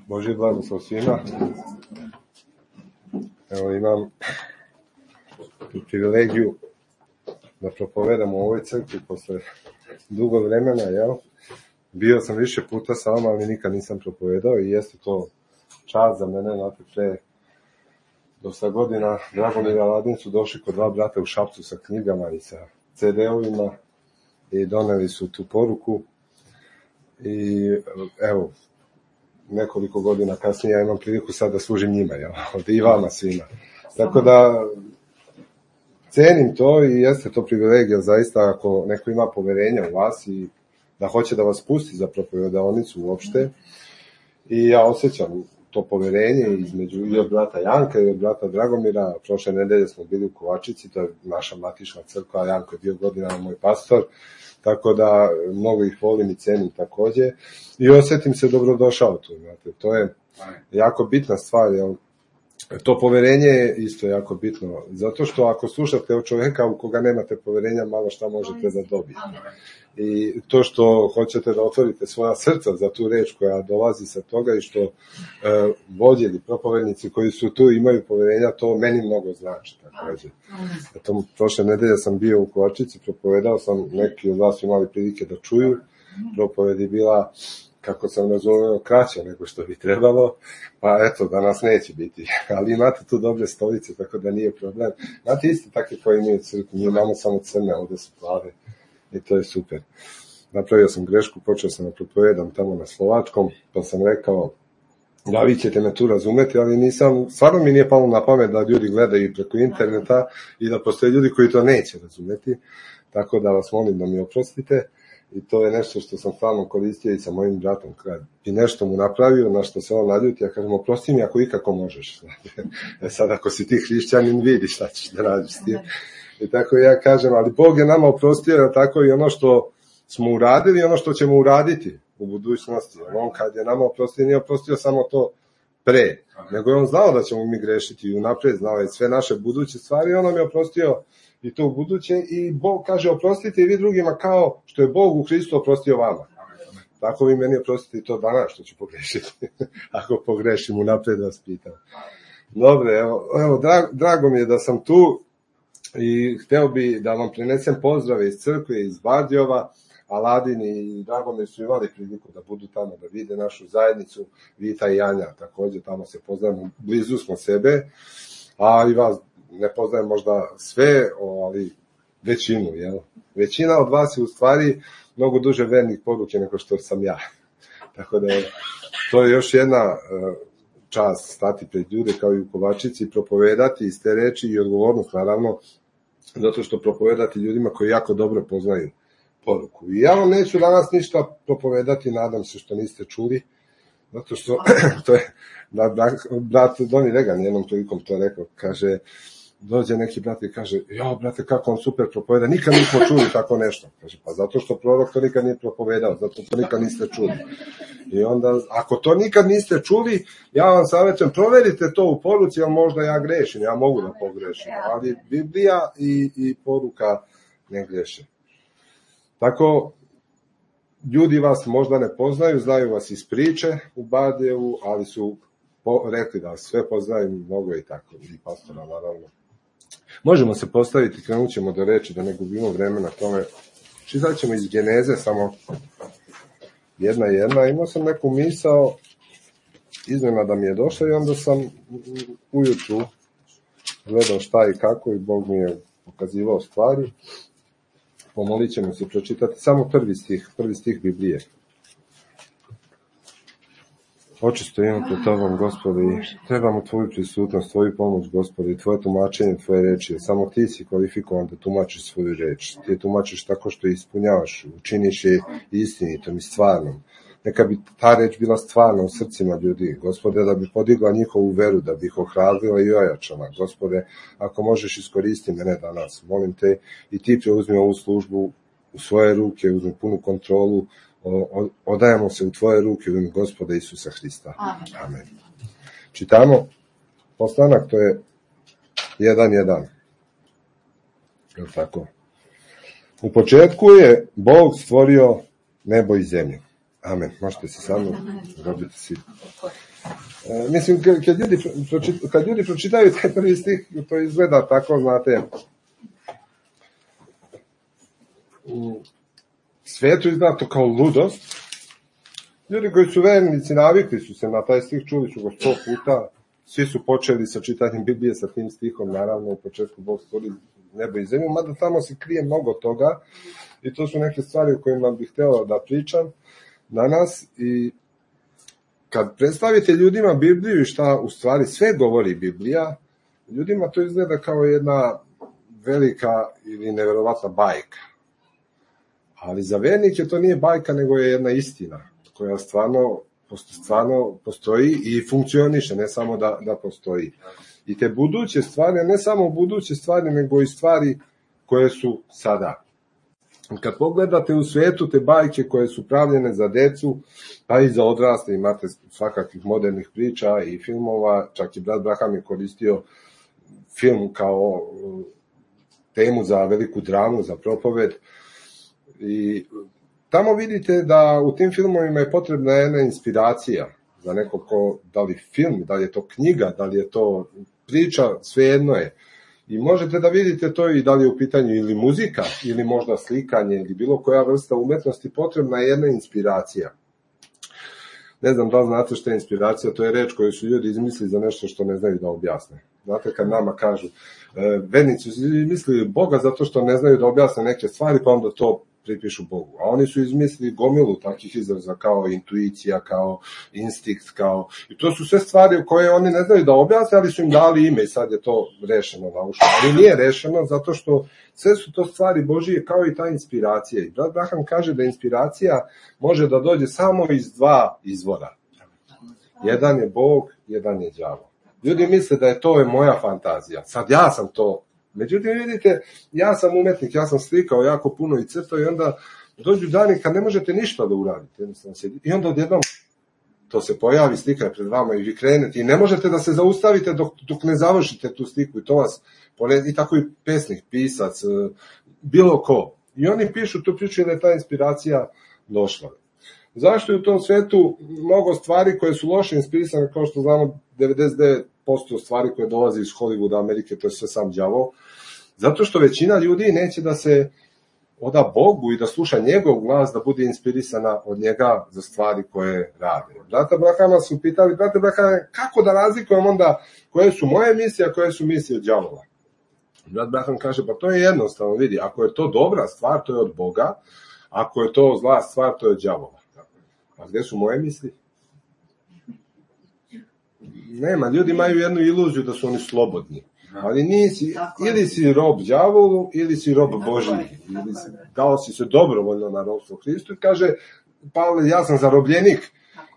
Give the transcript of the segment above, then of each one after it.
Božji blagoslov svima. Evo imam privilegiju da propovedam u ovoj crkvi posle dugo vremena, jel? Bio sam više puta sa vama, ali nikad nisam propovedao i jeste to čast za mene, znate, pre dosta godina Dragomir i Aladin su došli kod dva brata u Šapcu sa knjigama i sa CD-ovima i doneli su tu poruku i evo, nekoliko godina kasnije ja imam priliku sad da služim njima, jel? I vama svima. Tako da cenim to i jeste to privilegija zaista ako neko ima poverenja u vas i da hoće da vas pusti za propovedonicu uopšte. I ja osjećam to poverenje između i od brata Janka i od brata Dragomira. Prošle nedelje smo bili u Kovačici, to je naša matična crkva, Janko je bio godinama moj pastor, tako da mnogo ih volim i cenim takođe. I osjetim se dobrodošao tu, znate, to je jako bitna stvar, jel? To poverenje je isto jako bitno, zato što ako slušate od čoveka u koga nemate poverenja, malo šta možete da dobijete. I to što hoćete da otvorite svoja srca za tu reč koja dolazi sa toga i što vođe ili propovednici koji su tu imaju poverenja, to meni mnogo znači. Eto, prošle nedelje sam bio u Kovačici, propovedao sam, neki od vas imali prilike da čuju, propoved je bila, kako sam razumeo, kraća nego što bi trebalo, pa eto, danas neće biti, ali imate tu dobre stolice, tako da nije problem. Znate, isto takve koji nije crkvu, mi imamo samo crne, ovde su plave i to je super. Napravio sam grešku, počeo sam da propovedam tamo na slovačkom, pa sam rekao, da vi ćete me tu razumeti, ali nisam, stvarno mi nije palo na pamet da ljudi gledaju preko interneta i da postoje ljudi koji to neće razumeti, tako da vas molim da mi oprostite. I to je nešto što sam stvarno koristio i sa mojim bratom. Kad bi nešto mu napravio, na što se on naljuti, ja kažem, oprosti mi ako ikako možeš. Sad, ako si ti hrišćanin, vidi šta ćeš da radiš s tim. I tako ja kažem, ali Bog je nama oprostio, tako i ono što smo uradili, ono što ćemo uraditi u budućnosti. On kad je nama oprostio, nije oprostio samo to pre, nego je on znao da ćemo mi grešiti i unapred znao je sve naše buduće stvari, on nam je oprostio i to u buduće i Bog kaže oprostite i vi drugima kao što je Bog u Hristu oprostio vama. Tako vi meni oprostite i to danas što ću pogrešiti. Ako pogrešim, unapred vas pitam. Dobre, evo drago mi je da sam tu i hteo bi da vam prenesem pozdrave iz crkve, iz Bardijova. Aladin i Dragomir su imali priliku da budu tamo, da vide našu zajednicu, Vita i Janja, takođe tamo se poznajemo, blizu smo sebe, a i vas ne poznajem možda sve, ali većinu, jel? Većina od vas je u stvari mnogo duže vernih poruke nego što sam ja. Tako da to je još jedna čast stati pred ljude kao i u Kovačici i propovedati iz te reči i odgovornost naravno, zato što propovedati ljudima koji jako dobro poznaju poruku. I ja vam neću danas ništa propovedati, nadam se što niste čuli, zato što to je, brat Doni Regan jednom prilikom to rekao, kaže, dođe neki brat i kaže, jo, brate, kako on super propoveda, nikad nismo čuli tako nešto. Kaže, pa zato što prorok to nikad nije propovedao, zato to nikad niste čuli. I onda, ako to nikad niste čuli, ja vam savjetujem, proverite to u poruci, jer možda ja grešim, ja mogu da pogrešim, ali Biblija i poruka ne greše. Tako, ljudi vas možda ne poznaju, znaju vas iz priče u Bardijevu, ali su rekli da vas sve poznaju, mnogo i tako, i pastora naravno. Možemo se postaviti, krenut ćemo do reči, da ne gubimo vremena tome. Čitat ćemo iz Geneze, samo jedna. Imao sam neku misao, iznenada mi je došla i onda sam ujutru gledao šta i kako i Bog mi je pokazivao stvari. Pomolit ćemo se pročitati samo prvi stih Biblije. Očisto imam pred tobom, Gospodi, trebamo tvoju prisutnost, tvoju pomoć, Gospodi, tvoje tumačenje, tvoje reči. Samo ti si kvalifikovan da tumačiš svoju reč. Ti je tumačiš tako što je ispunjavaš, učiniš je istinitom i stvarnom. Neka bi ta reč bila stvarna u srcima ljudi, Gospode, da bi podigla njihovu veru, da bi ih ohrabrila i ojačala. Gospode, ako možeš iskoristi mene danas, molim te i ti preuzmi ovu službu u svoje ruke, uzmi punu kontrolu, odajemo se u tvoje ruke u ime Gospoda Isusa Hrista. Amen. Čitamo postanak, to je 1:1. Je li tako? U početku je Bog stvorio nebo i zemlju. Amen. Možete se samo dobiti svi. Mislim, kad ljudi pročitaju taj prvi stih, to izgleda tako, znate, svijetu izgleda to kao ludost. Ljudi koji su vernici navikli su se na taj stih, čuli su ga 100 puta, svi su počeli sa čitanjem Biblije sa tim stihom, naravno u početku Bog stvori nebo i zemlju, mada tamo se krije mnogo toga i to su neke stvari o kojima bih htjela da pričam danas. I kad predstavite ljudima Bibliju i šta u stvari sve govori Biblija, ljudima to izgleda kao jedna velika ili neverovatna bajka. Ali za vernike to nije bajka, nego je jedna istina koja stvarno postoji i funkcioniše, ne samo da postoji. I te buduće stvari, ne samo buduće stvari, nego i stvari koje su sada. Kad pogledate u svijetu te bajke koje su pravljene za decu, pa i za odrasle, imate svakakvih modernih priča i filmova, čak i brat Braham je koristio film kao temu za veliku dramu, za propoved. I tamo vidite da u tim filmovima je potrebna jedna inspiracija za nekog ko, da li film, da li je to knjiga, da li je to priča, svejedno je. I možete da vidite to i da li je u pitanju ili muzika, ili možda slikanje, ili bilo koja vrsta umetnosti, potrebna je jedna inspiracija. Ne znam da li znate što je inspiracija, to je reč koju su ljudi izmislili za nešto što ne znaju da objasne. Znate, kad nama kažu, vernici su izmislili Boga zato što ne znaju da objasne neke stvari, pa onda to pripišu Bogu. A oni su izmislili gomilu takvih izraza kao intuicija, kao instinkt, kao... I to su sve stvari koje oni ne znaju da objasne, ali su im dali ime i sad je to rešeno naučno. Ali nije rešeno zato što sve su to stvari Božije kao i ta inspiracija. I brat Braham kaže da inspiracija može da dođe samo iz dva izvora. Jedan je Bog, jedan je đavo. Ljudi misle da je to moja fantazija. Sad ja sam to. Međutim, vidite, ja sam umetnik, ja sam slikao jako puno i crtao i onda dođu dani kad ne možete ništa da uradite. I onda odjednom to se pojavi, slika je pred vama i vi krenete i ne možete da se zaustavite dok ne završite tu sliku i to vas poredi. I tako i pesnik, pisac, bilo ko. I oni pišu tu priču da je ta inspiracija došla. Zašto je u tom svetu mnogo stvari koje su loše inspirisane, kao što znamo 99% stvari koje dolaze iz Hollywooda, Amerike, to je sve sam đavo, zato što većina ljudi neće da se oda Bogu i da sluša njegov glas, da bude inspirisana od njega za stvari koje rade. Brata Brahama su pitali, brate Brahame, kako da razlikujem onda koje su moje misije, a koje su misije đavola? Brat Braham kaže, pa to je jednostavno, vidi, ako je to dobra stvar, to je od Boga, ako je to zla stvar, to je od đavola. A gde su moje misli? Nema, ljudi imaju jednu iluziju da su oni slobodni. Ali nisi, ili si rob đavolu, ili si rob Božiji. Dao si se dobrovoljno na robstvo Hristu i kaže, Pavle, ja sam zarobljenik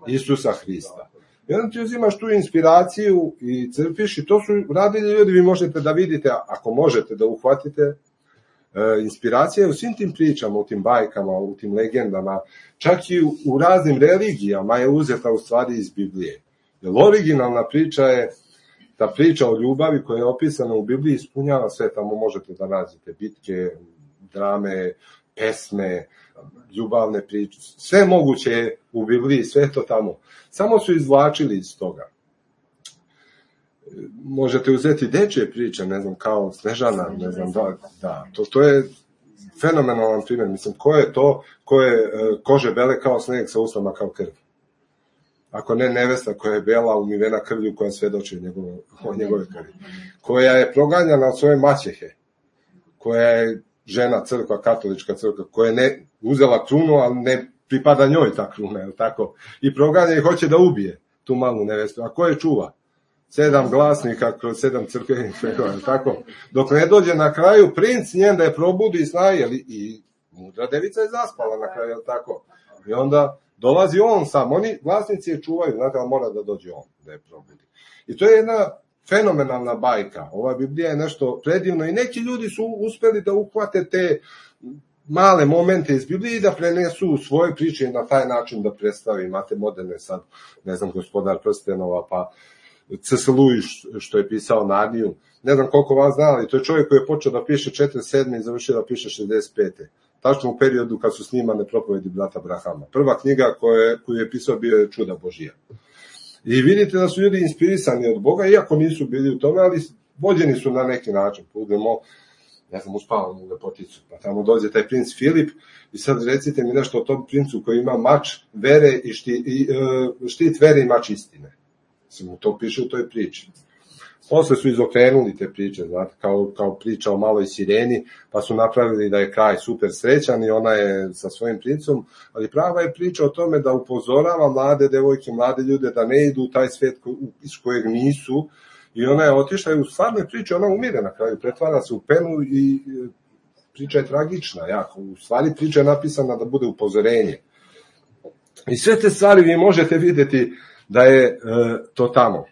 Isusa Hrista. I onda ti uzimaš tu inspiraciju i crpiš i to su radili ljudi, vi možete da vidite, ako možete da uhvatite, inspiracija je u svim tim pričama, u tim bajkama, u tim legendama, čak i u raznim religijama je uzeta u stvari iz Biblije. Jer originalna priča je ta priča o ljubavi koja je opisana u Bibliji, ispunjava sve, tamo možete da nađete bitke, drame, pesme, ljubavne priče, sve moguće je u Bibliji, sve to tamo. Samo su izvlačili iz toga. Možete uzeti dečje priče, ne znam, kao Snežana, ne znam, da, to je fenomenalan primjer, mislim, ko je to, ko je kože bele kao sneg sa usnama kao krv? Ako ne nevesta koja je bela umivena krvlju koja svedoči o njegove krvi, koja je proganjana od svoje maćehe, koja je žena crkva, katolička crkva, koja je ne uzela krunu, ali ne pripada njoj ta kruna, je tako? I proganja i hoće da ubije tu malu nevestu. A ko je čuva? 7 glasnika kroz 7 crkvenih vekova, tako? Dok ne dođe na kraju princ njen da je probudi i snaje, i mudra devica je zaspala na kraju, tako? I onda dolazi on sam, oni glasnici je čuvaju, znate, ali mora da dođe on da je probudi. I to je jedna fenomenalna bajka. Ova Biblija je nešto predivno i neki ljudi su uspeli da uhvate te male momente iz Biblije i da prenesu svoje priče na taj način da predstavi. Imate moderne sad, ne znam, Gospodar prstenova, pa C.S. Lewis što je pisao Narniju. Ne znam koliko vas zna, ali to je čovjek koji je počeo da piše 47. i završio da piše 65. tačno u periodu kad su snimane propovedi brata Brahama. Prva knjiga koju je pisao bio je Čuda Božija. I vidite da su ljudi inspirisani od Boga, iako nisu bili u tome, ali vođeni su na neki način. Budemo, ja sam uspavam u Lepoticu, pa tamo dođe taj princ Filip i sad recite mi nešto o tom princu koji ima mač vere i štit vere i mač istine. Samo to piše u toj priči. Posle su izokrenuli te priče, znate, kao priča o maloj sireni, pa su napravili da je kraj super srećan i ona je sa svojim princom, ali prava je priča o tome da upozorava mlade devojke, mlade ljude da ne idu u taj svet iz kojeg nisu, i ona je otišla i u stvarnoj priči ona umire na kraju, pretvara se u penu i priča je tragična, jako. U stvari priča je napisana da bude upozorenje. I sve te stvari vi možete vidjeti da je to tamo.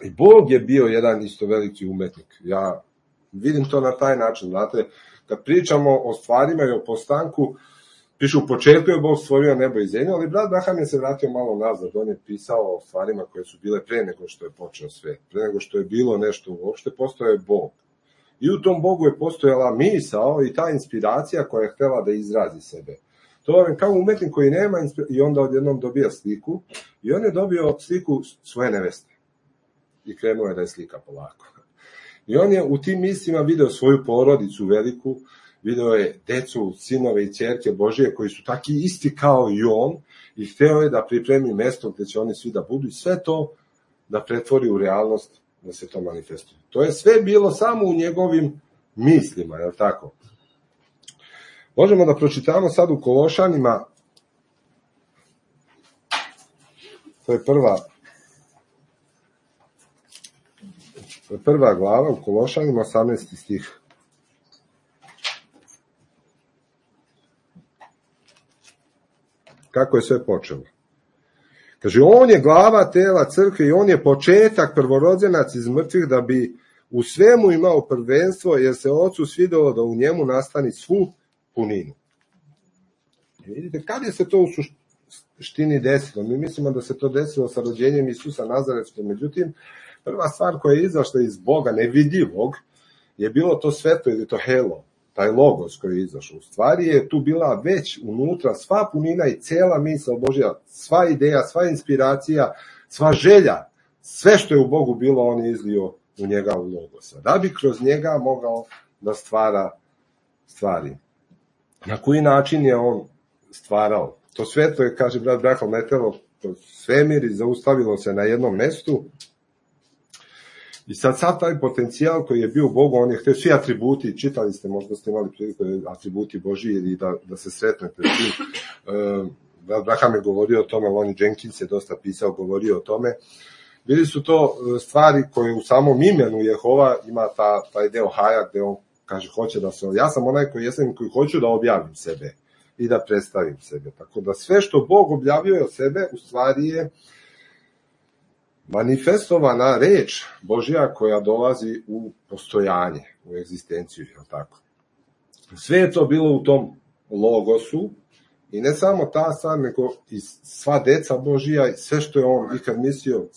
I Bog je bio jedan isto veliki umetnik. Ja vidim to na taj način, znate, kad pričamo o stvarima i o postanku, piše u početku je Bog stvorio nebo i zemlju, ali brat Braham je se vratio malo nazad, on je pisao o stvarima koje su bile pre nego što je počeo svet, pre nego što je bilo nešto uopšte, postojao je Bog. I u tom Bogu je postojala misao i ta inspiracija koja je htela da izrazi sebe. To je kao umetnik koji nema i onda odjednom dobija sliku i on je dobio sliku svoje neveste. I krenuo je da je slika polako. I on je u tim mislima video svoju porodicu veliku, video je decu, sinove i ćerke Božije koji su taki isti kao i on i hteo je da pripremi mesto gde će oni svi da budu i sve to da pretvori u realnost, da se to manifestuje. To je sve bilo samo u njegovim mislima, je li tako? Možemo da pročitamo sad u Kološanima, to je prva glava u Kološanima, 18. stih. Kako je sve počelo? Kaže, on je glava tela crkve i on je početak, prvorodzenac iz mrtvih, da bi u svemu imao prvenstvo, jer se Ocu svidelo da u njemu nastani svu puninu. I vidite, kad je se to u suštini desilo? Mi mislimo da se to desilo sa rođenjem Isusa Nazaretskog, međutim, prva stvar koja je izašla iz Boga nevidljivog je bilo to svetlo ili to helo, taj logos koji je izašao. U stvari je tu bila već unutra sva punina i cela misao Božja, sva ideja, sva inspiracija, sva želja, sve što je u Bogu bilo, on je izlio u njega u logosa. Da bi kroz njega mogao da stvara stvari. Na koji način je on stvarao? To svetlo je, kaže brat Braham, letelo kroz svemir i zaustavilo se na jednom mestu. I sad taj potencijal koji je bio u Bogu, on je htio svi atributi, čitali ste, možda ste imali priliku atributi Božji ili da se sretnete s tim. Braham je govorio o tome, Lonnie Jenkins je dosta pisao, govorio o tome. Bili su to stvari koje u samom imenu Jehova ima taj deo haja gde on kaže hoće da se, ja sam onaj koji jesam koji hoću da objavim sebe i da predstavim sebe. Tako da sve što Bog objavljuje od sebe u stvari je manifestovana reč Božja koja dolazi u postojanje, u egzistenciju, je tako? Sve je to bilo u tom logosu i ne samo ta stvar, nego i sva deca Božja i sve što je on ikad mislio,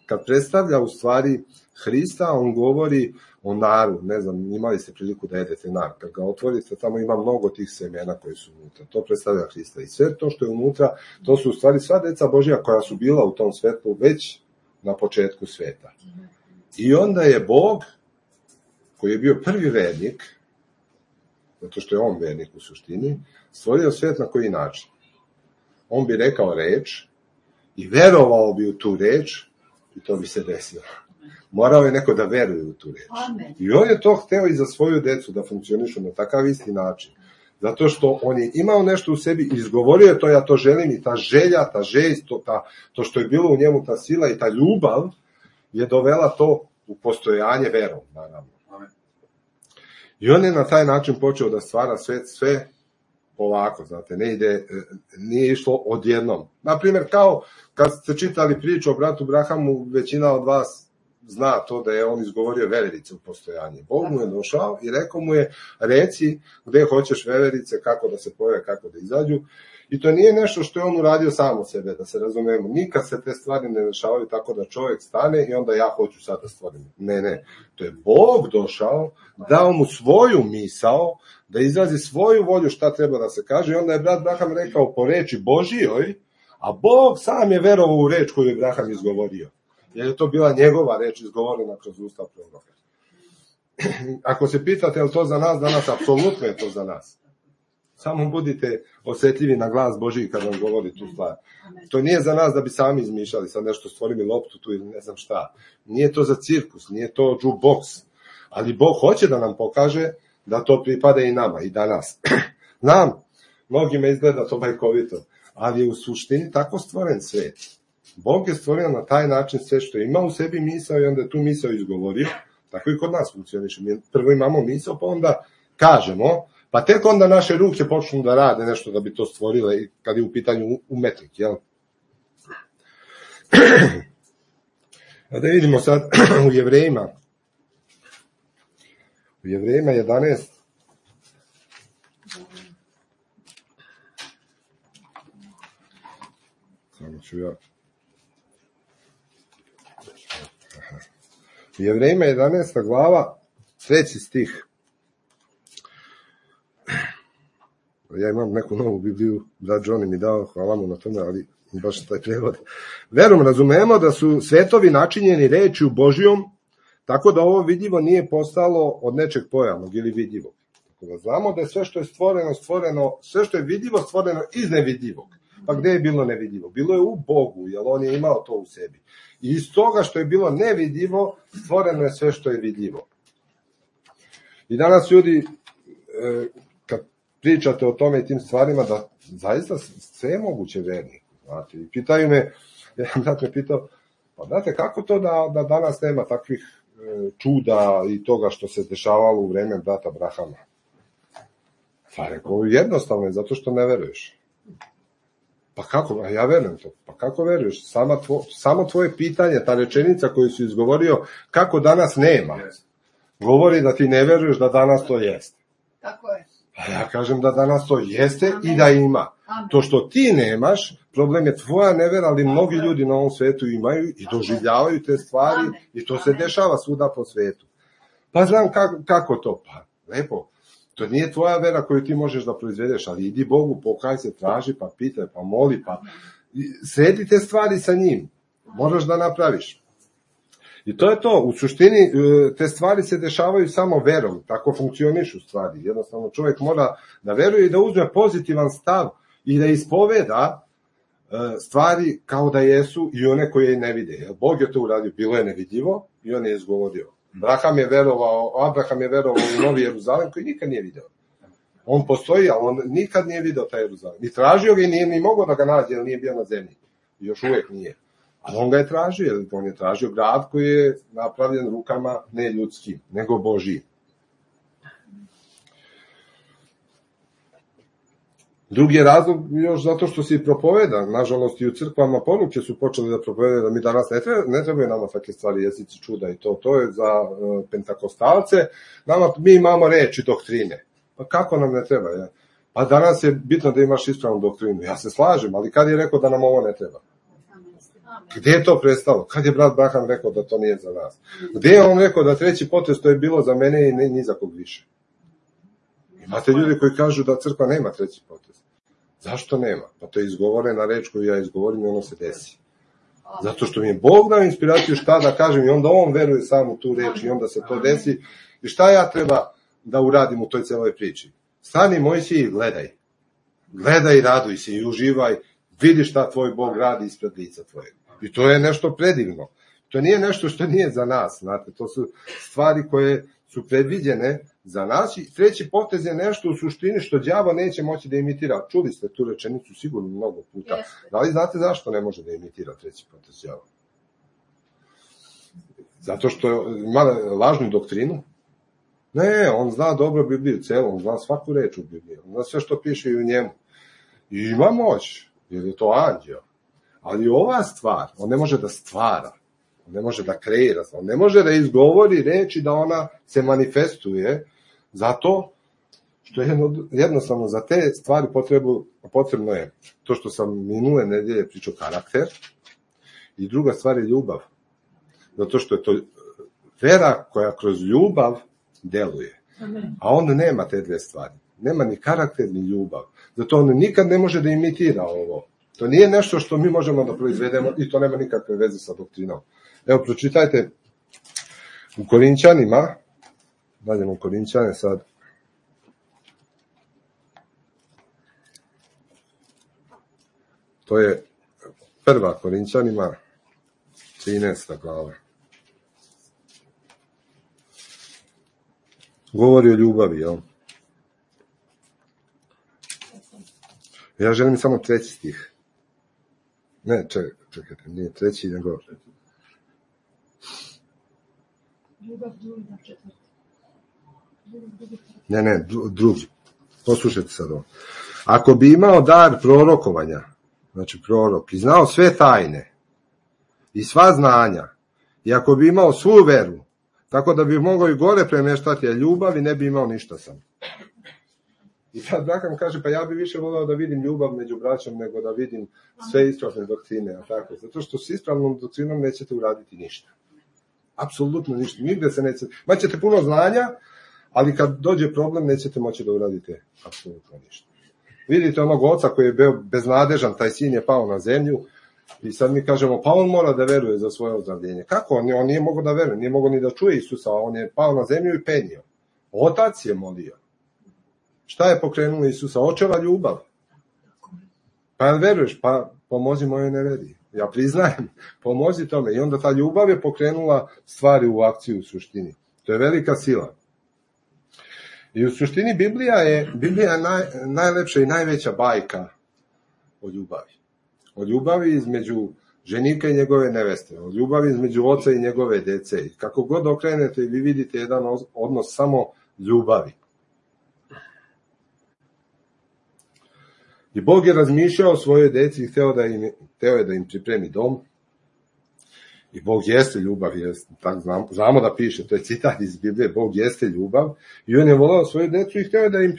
kad predstavlja u stvari Hrista, on govori o naru, ne znam, imali ste priliku da jedete nar, kad ga otvorite, tamo ima mnogo tih semena koji su unutra, to predstavlja Hrista i sve to što je unutra, to su u stvari sva deca Božja koja su bila u tom svetlu već na početku sveta. I onda je Bog, koji je bio prvi vernik, zato što je on vernik u suštini, stvorio svet na koji način? On bi rekao reč i verovao bi u tu reč i to bi se desilo. Morao je neko da veruje u tu reč. I on je to hteo i za svoju decu da funkcionišu na takav isti način. Zato što on je imao nešto u sebi, izgovorio je to, ja to želim i ta želja, ta željst, to što je bilo u njemu, ta sila i ta ljubav je dovela to u postojanje verom, naravno. I on je na taj način počeo da stvara svet sve polako, znate, nije išlo odjednom. Naprimjer, kao kad ste čitali priču o bratu Brahamu, većina od vas zna to da je on izgovorio veverice u postojanje. Bog mu je došao i rekao mu je, reci gde hoćeš veverice, kako da se pojave, kako da izađu. I to nije nešto što je on uradio sam od sebe, da se razumemo. Nikad se te stvari ne dešavaju tako da čovjek stane i onda ja hoću sad da stvorim. Ne. To je Bog došao, dao mu svoju misao, da izrazi svoju volju šta treba da se kaže i onda je brat Abraham rekao po reči Božijoj, a Bog sam je verovao u reč koju je Abraham izgovorio. Jer je to bila njegova reč izgovorena kroz usta proroka. Ako se pitate je li to za nas danas, apsolutno je to za nas. Samo budite osjetljivi na glas Božiji kad vam govori tu stvar. To nije za nas da bi sami izmišljali, sad nešto stvorili loptu tu ili ne znam šta. Nije to za cirkus, nije to jukebox. Ali Bog hoće da nam pokaže da to pripada i nama, i danas. Znam, mnogima izgleda to bajkovito, ali je u suštini tako stvoren svet. Bog je stvorio na taj način sve što ima u sebi misao i onda je tu misao izgovorio. Tako i kod nas funkcioniše. Mi prvo imamo misao, pa onda kažemo, pa tek onda naše ruke počnu da rade nešto da bi to stvorile kad je u pitanju umetnik, jel? A da vidimo sad u Jevrejima. U Jevrejima 11. Samo ću ja. U Jevrejima 11. glava, 3. stih. Ja imam neku novu Bibliju, brat Johnny mi dao, hvala mu na tome, ali baš taj prevod. Verom razumemo da su svetovi načinjeni rečju Božijom, tako da ovo vidljivo nije postalo od nečeg pojavnog ili vidljivog. Tako da znamo da je sve što je stvoreno, sve što je vidljivo stvoreno iz nevidljivog. Pa gde je bilo nevidljivo? Bilo je u Bogu, jer on je imao to u sebi. I iz toga što je bilo nevidljivo, stvoreno je sve što je vidljivo. I danas ljudi, kad pričate o tome i tim stvarima, da zaista sve je moguće verniku. Znate, i pitaju me, jedan brat me pitao, pa znate, kako to da danas nema takvih čuda i toga što se dešavalo u vreme brata Abrahama? Pa rekao, jednostavno je, zato što ne veruješ. Pa kako? A ja verujem to. Pa kako veruješ? Samo tvoje pitanje, ta rečenica koju si izgovorio, kako danas nema, govori da ti ne veruješ da danas to jeste. Tako je. A ja kažem da danas to jeste i da ima. To što ti nemaš, problem je tvoja nevera, ali mnogi ljudi na ovom svetu imaju i doživljavaju te stvari i to se dešava svuda po svetu. Pa znam kako to? Pa lepo. To nije tvoja vera koju ti možeš da proizvedeš, ali idi Bogu, pokaj se, traži, pa pitaj, pa moli, pa sredi te stvari sa njim. Moraš da napraviš. I to je to. U suštini te stvari se dešavaju samo verom. Tako funkcionišu stvari. Jednostavno čovjek mora da veruje i da uzme pozitivan stav i da ispoveda stvari kao da jesu i one koje ne vide. Bog je to uradio. Bilo je nevidljivo i on je izgovorio. Abraham je verovao u Novi Jeruzalem koji nikad nije video. On postoji, ali on nikad nije video taj Jeruzalem. I tražio ga i nije ni mogao da ga nađe, jer nije bio na zemlji. I još uvijek nije. Ali on ga je tražio, jer on je tražio grad koji je napravljen rukama ne ljudskim, nego Božijim. Drugi je razlog još zato što se propoveda. Nažalost i u crkvama poruke su počeli da propovede da mi danas ne trebaju nama takve stvari, jezici čuda i to je za pentakostalce. Mi imamo reči doktrine. Pa kako nam ne treba? Ja? Pa danas je bitno da imaš ispravnu doktrinu. Ja se slažem, ali kad je rekao da nam ovo ne treba? Gdje je to prestalo? Kad je brat Abraham rekao da to nije za nas? Gdje je on rekao da treći potez to je bilo za mene i ni za kog više? Imate ljudi koji kažu da crkva nema treći potez. Zašto nema? Pa to je izgovorena reč koju ja izgovorim i ono se desi. Zato što mi je Bog dao inspiraciju šta da kažem i onda on veruje sam u tu reč i onda se to desi. I šta ja treba da uradim u toj celoj priči? Stani Mojsije i gledaj. Gledaj, raduj se i uživaj. Vidi šta tvoj Bog radi ispred lica tvojeg. I to je nešto predivno. To nije nešto što nije za nas. Znate, to su stvari koje su predviđene za nas i treći potez je nešto u suštini što đavo neće moći da imitira. Čuli ste tu rečenicu sigurno mnogo puta. Da li znate zašto ne može da imitira treći potez đavo? Zato što ima lažnu doktrinu? Ne, on zna dobro Bibliju celu, on zna svaku reč u Bibliji, on zna sve što piše i u njemu. I ima moć, jer je to anđeo. Ali ova stvar, on ne može da stvara, on ne može da kreira, on ne može da izgovori reči da ona se manifestuje, zato što je jednostavno za te stvari potrebno je to što sam minule nedelje pričao, karakter, i druga stvar je ljubav. Zato što je to vera koja kroz ljubav deluje. A on nema te dve stvari. Nema ni karakter, ni ljubav. Zato on nikad ne može da imitira ovo. To nije nešto što mi možemo da proizvedemo i to nema nikakve veze sa doktrinom. Evo, pročitajte u Korinćanima, daljemo u Korinćane sad, to je 1. Korinćanima, 13. glava. Govori o ljubavi, jel? Ja želim samo 3. stih. Ne, čekajte, nije 3, nego... Ne, drugi. Poslušajte sad ovo. Ako bi imao dar prorokovanja, znači prorok, i znao sve tajne i sva znanja, i ako bi imao svu veru, tako da bi mogao i gore premeštati, a ljubavi ne bi imao ništa sam. I sad Braham kaže, pa ja bi više volao da vidim ljubav među braćom nego da vidim sve ispravne doktrine, a tako. Zato što s ispravnom doktrinom nećete uraditi ništa. Apsolutno ništa. Nigde se nećete... Maćete puno znanja, ali kad dođe problem nećete moći da uradite apsolutno ništa. Vidite onog oca koji je bio beznadežan, taj sin je pao na zemlju i sad mi kažemo, pa on mora da veruje za svoje ozdravljenje. Kako? On nije mogao da veruje, nije mogao ni da čuje Isusa, on je pao na zemlju i penio. Otac je molio. Šta je pokrenulo Isusa? Očeva ljubav. Pa veruješ, pa pomozi mojoj neveri. Ja priznajem, pomozi tome. I onda ta ljubav je pokrenula stvari u akciju u suštini. To je velika sila. I u suštini Biblija je najlepša i najveća bajka o ljubavi. O ljubavi između ženika i njegove neveste. O ljubavi između oca i njegove dece. I kako god okrenete, vi vidite jedan odnos samo ljubavi. I Bog je razmišljao o svojoj deci i hteo je da im pripremi dom. I Bog jeste ljubav, znamo da piše, to je citat iz Biblije, Bog jeste ljubav. I on je volao svoju decu i hteo je da im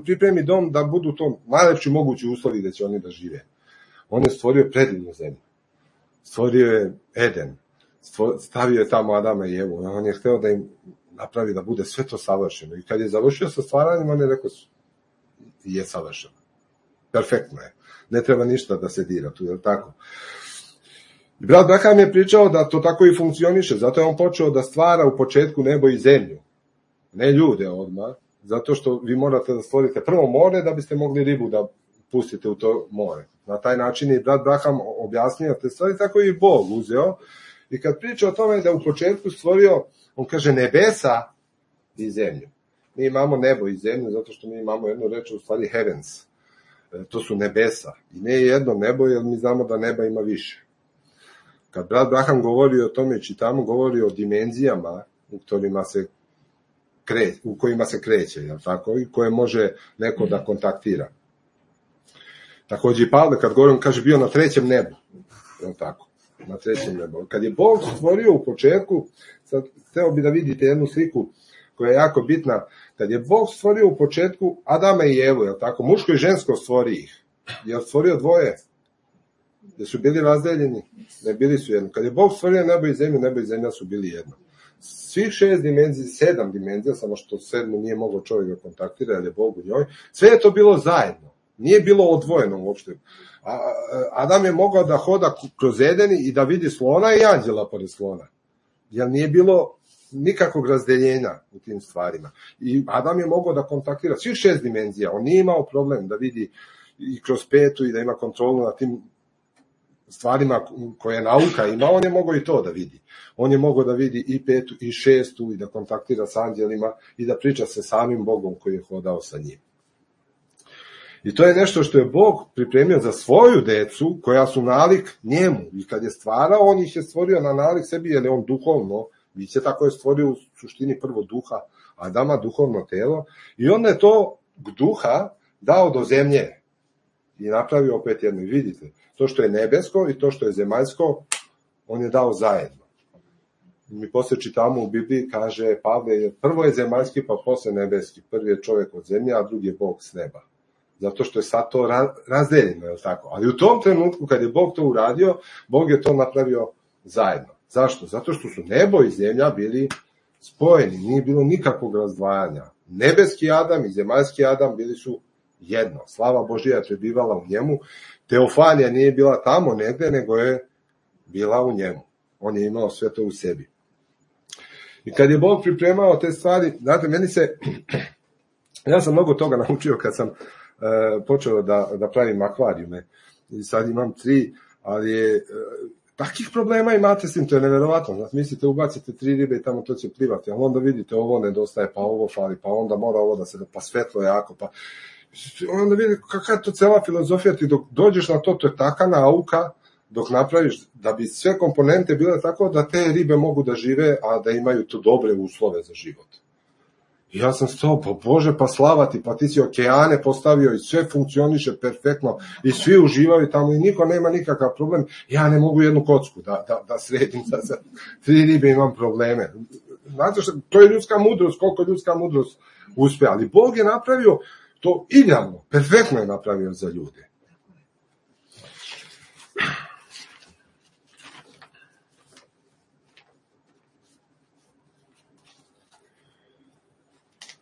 pripremi dom, da budu to najlepši mogući uslovi da će oni da žive. On je stvorio predivnu zemlju. Stvorio je Eden. Stavio je tamo Adama i Evu. On je hteo da im napravi da bude sve to savršeno. I kad je završio sa stvaranjem, on je rekao, je savršeno. Perfektno je. Ne treba ništa da se dira tu, je li tako? I brat Braham je pričao da to tako i funkcioniše, zato je on počeo da stvara u početku nebo i zemlju. Ne ljude odmah, zato što vi morate da stvorite prvo more da biste mogli ribu da pustite u to more. Na taj način je brat Braham objasnio te stvari, tako i Bog uzeo. I kad priča o tome da u početku stvorio, on kaže nebesa i zemlju. Mi imamo nebo i zemlju zato što mi imamo jednu reč, u stvari heavens. To su nebesa. I ne jedno nebo, jer mi znamo da neba ima više. Kad brat Braham govori o tome, čitamo, govori o dimenzijama u kojima se kreće, jel tako? I koje može neko da kontaktira. Takođe i Pavle, kad govorim, kaže, bio na 3. nebu. Jel tako? Na 3. nebu. Kad je Bog stvorio u početku, sad hteo bi da vidite jednu sliku koja je jako bitna. Kad je Bog stvorio u početku Adama i Evu, jel tako? Muško i žensko stvori ih. Je stvorio dvoje? Jer su bili razdeljeni? Ne, bili su jedno. Kad je Bog stvorio nebo i zemlja su bili jedno. Svih 6 dimenzija, 7 dimenzija, samo što 7 nije mogao čovjek da kontaktira, jer je Bog u njoj, sve je to bilo zajedno. Nije bilo odvojeno uopšte. Adam je mogao da hoda kroz Eden i da vidi slona i anđela pored slona. Jer nije bilo nikakvog razdeljenja u tim stvarima. I Adam je mogao da kontaktira svih 6 dimenzija. On nije imao problem da vidi i kroz 5 i da ima kontrolu na tim stvarima koje nauka ima, on je mogao i to da vidi. On je mogao da vidi i 5 i 6 i da kontaktira s anđelima i da priča sa samim Bogom koji je hodao sa njim. I to je nešto što je Bog pripremio za svoju decu, koja su nalik njemu. I kad je stvarao, on ih je stvorio na nalik sebi, jer je on duhovno, biće tako je stvorio u suštini prvo duha Adama, duhovno telo, i onda je to duha dao do zemlje i napravio opet jedno. I vidite, to što je nebesko i to što je zemaljsko, on je dao zajedno. mi poslije čitamo u Bibliji, kaže Pavle, prvo je zemaljski, pa posle nebeski. Prvi je čovjek od zemlje, a drugi je Bog s neba. Zato što je sad to razdeljeno, je li tako? Ali u tom trenutku, kad je Bog to uradio, Bog je to napravio zajedno. Zašto? Zato što su nebo i zemlja bili spojeni, nije bilo nikakvog razdvajanja. Nebeski Adam i zemaljski Adam bili su jedno. Slava Božja je prebivala u njemu. Teofanija nije bila tamo negde, nego je bila u njemu. On je imao sve to u sebi. I kad je Bog pripremao te stvari, znate, ja sam mnogo toga naučio kad sam počeo da pravim akvarijume. I sad imam 3, ali je takvih problema imate s tim, to je neverovatno. Znači, mislite, ubacite 3 ribe i tamo to će plivati, ali onda vidite ovo nedostaje, pa ovo fali, pa onda mora ovo da se, pa svetlo jako, pa onda vidite kakva je to cela filozofija, ti dok dođeš na to, to je taka nauka, dok napraviš da bi sve komponente bile tako da te ribe mogu da žive, a da imaju to dobre uslove za život. I ja sam stao, pa Bože, pa slavati, pa ti si okeane postavio i sve funkcioniše perfektno i svi uživaju tamo i niko nema nikakav problem. Ja ne mogu jednu kocku da sredim, da za 3 ribe imam probleme. Znate što, to je ljudska mudrost, koliko ljudska mudrost uspe, ali Bog je napravio to idealno, perfektno je napravio za ljude.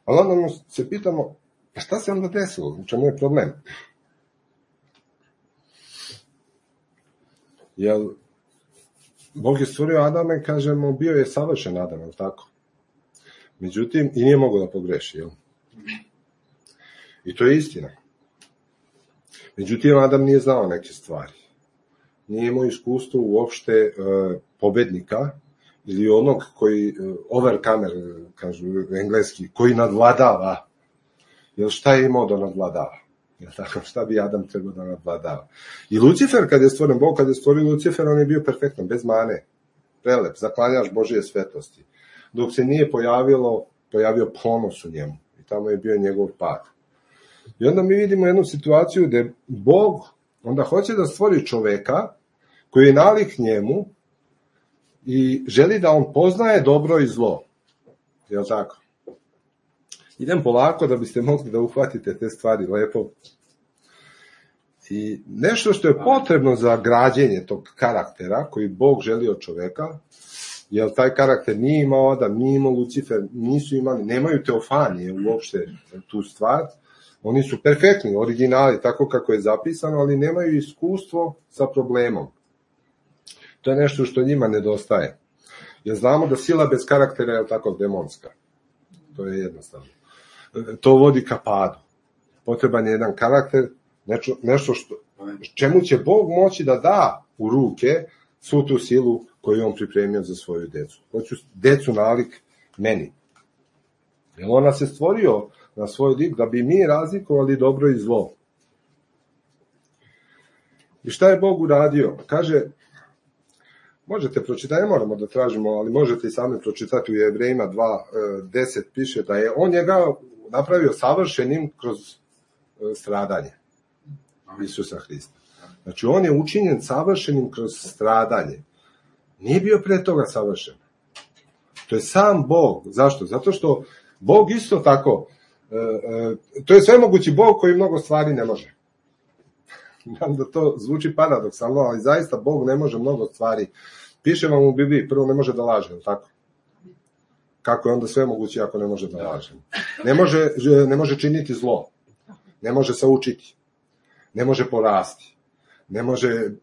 Ali onda se pitamo, šta se onda desilo? U čemu je problem? Jel, Bog je stvorio Adama i kažemo, bio je savršen Adam, jel tako? Međutim, i nije mogao da pogreši, jel? I to je istina. Međutim, Adam nije znao neke stvari. Nije imao iskustvo uopšte pobednika, ili onog koji, overcomer, kažu engleski, koji nadvladava. Jer šta je imao da nadvladava? Jel tako? Šta bi Adam trebao da nadvladava? I Lucifer, kad je stvoren, Bog kad je stvorio Lucifer, on je bio perfektan, bez mane. Prelep, zaklanjaš Božije svetlosti. Dok se nije pojavio ponos u njemu. I tamo je bio njegov pad. I onda mi vidimo jednu situaciju gde Bog onda hoće da stvori čoveka koji je nalik njemu i želi da on poznaje dobro i zlo. Jel tako? Idem polako da biste mogli da uhvatite te stvari lepo. I nešto što je potrebno za građenje tog karaktera koji Bog želi od čoveka, jer taj karakter nije imao Adam, nije imao Lucifer, nisu imali, nemaju teofanije uopšte tu stvar. Oni su perfektni, originali, tako kako je zapisano, ali nemaju iskustvo sa problemom. To je nešto što njima nedostaje. Jer znamo da sila bez karaktera je tako demonska. To je jednostavno. To vodi ka padu. Potreban je jedan karakter, nešto čemu će Bog moći da da u ruke svu tu silu koju on pripremio za svoju decu. Hoću decu nalik meni. Jer on nas je stvorio na svoj lik da bi mi razlikovali dobro i zlo. I šta je Bog uradio? Kaže, možete pročitati, ne moramo da tražimo, ali možete i sami pročitati u Jevrejima 2:10 piše da je on njega napravio savršenim kroz stradanje Isusa Hrista. Znači on je učinjen savršenim kroz stradanje. Nije bio pre toga savršen. To je sam Bog. Zašto? Zato što Bog isto tako, to je svemogući Bog koji mnogo stvari ne može. Znam da to zvuči paradoksalno, ali zaista Bog ne može mnogo stvari. Piše vam u Bibliji, prvo ne može da laže, tako? Kako je onda sve moguće ako ne može da laže? Ne može činiti zlo, ne može se učiti, ne može porasti, ne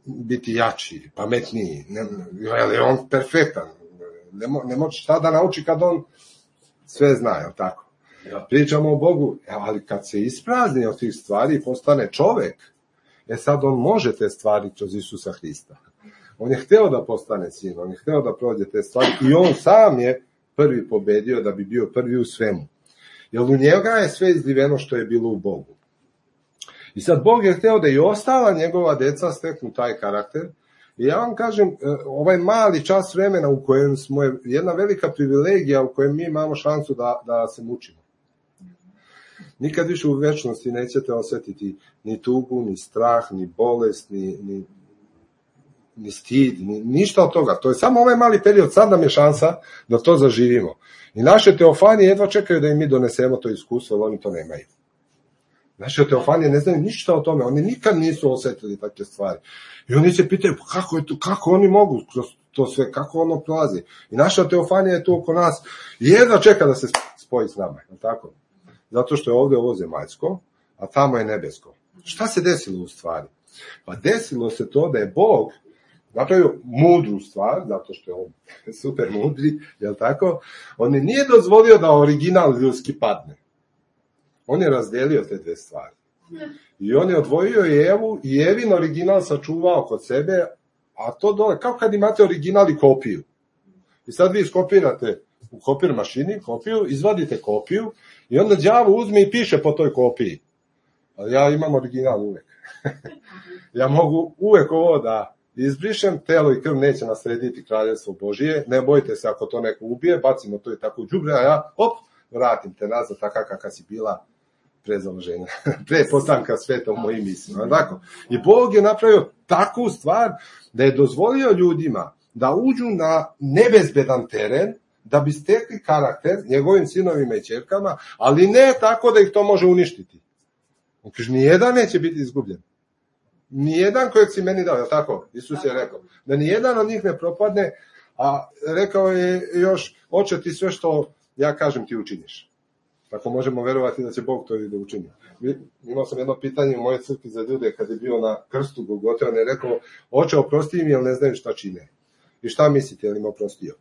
biti jači, pametniji, je on perfektan, ne može šta da nauči kad on sve zna, tako? Pričamo o Bogu, ali kad se isprazni od tih stvari i postane čovek, sad on može te stvari kroz Isusa Hrista. On je hteo da postane sin, on je hteo da prođe te stvari i on sam je prvi pobedio da bi bio prvi u svemu. Jer u njega je sve izliveno što je bilo u Bogu. I sad Bog je hteo da i ostala njegova deca steknu taj karakter. I ja vam kažem, ovaj mali čas vremena u kojem smo, je jedna velika privilegija u kojem mi imamo šansu da se mučimo. Nikad više u večnosti nećete osetiti ni tugu, ni strah, ni bolest, ni stid, ništa od toga. To je samo ovaj mali period, sad nam je šansa da to zaživimo. I naše teofanije jedva čekaju da im mi donesemo to iskustvo, jer oni to nemaju. Naše teofanije ne znaju ništa o tome, oni nikad nisu osjetili takve stvari. I oni se pitaju, pa kako je to, kako oni mogu kroz to sve, kako ono prolazi. I naša teofanija je tu oko nas i jedva čeka da se spoji s nama, je tako? Zato što je ovdje ovo zemaljsko, a tamo je nebesko. Šta se desilo u stvari? Pa desilo se to da je Bog napravio mudru stvar, zato što je on super mudri, jel tako? On nije dozvolio da original ljudski padne. On je razdelio te dve stvari. I on je odvojio Evu i Evin original sačuvao kod sebe, a to dole, kao kad imate original i kopiju. I sad vi iskopirate u kopir mašini kopiju, izvadite kopiju i onda đavo uzme i piše po toj kopiji. Ali ja imam original uvek. Ja mogu uvek ovo da izbrišem, telo i krv neće naslediti kraljevstvo Božije, ne bojte se ako to neko ubije, bacimo to i tako u đubre, a ja, vratim te nazad taka kakva si bila pre založenja, pre postanka sveta u mojim mislima. Tako? I Bog je napravio takvu stvar da je dozvolio ljudima da uđu na nebezbedan teren, da bi stekli karakter njegovim sinovima i ćerkama, ali ne tako da ih to može uništiti. On kaže, nijedan neće biti izgubljen. Nijedan kojeg si meni dao, je tako? Isus je rekao, da nijedan od njih ne propadne, a rekao je još, oče ti sve što ja kažem ti učiniš. Tako možemo verovati da će Bog to i da učini. Imao sam jedno pitanje u mojoj crkvi za ljude kad je bio na krstu Golgote, on je rekao, oče oprosti im jer ne znaju šta čine. I šta mislite, je li im oprostio?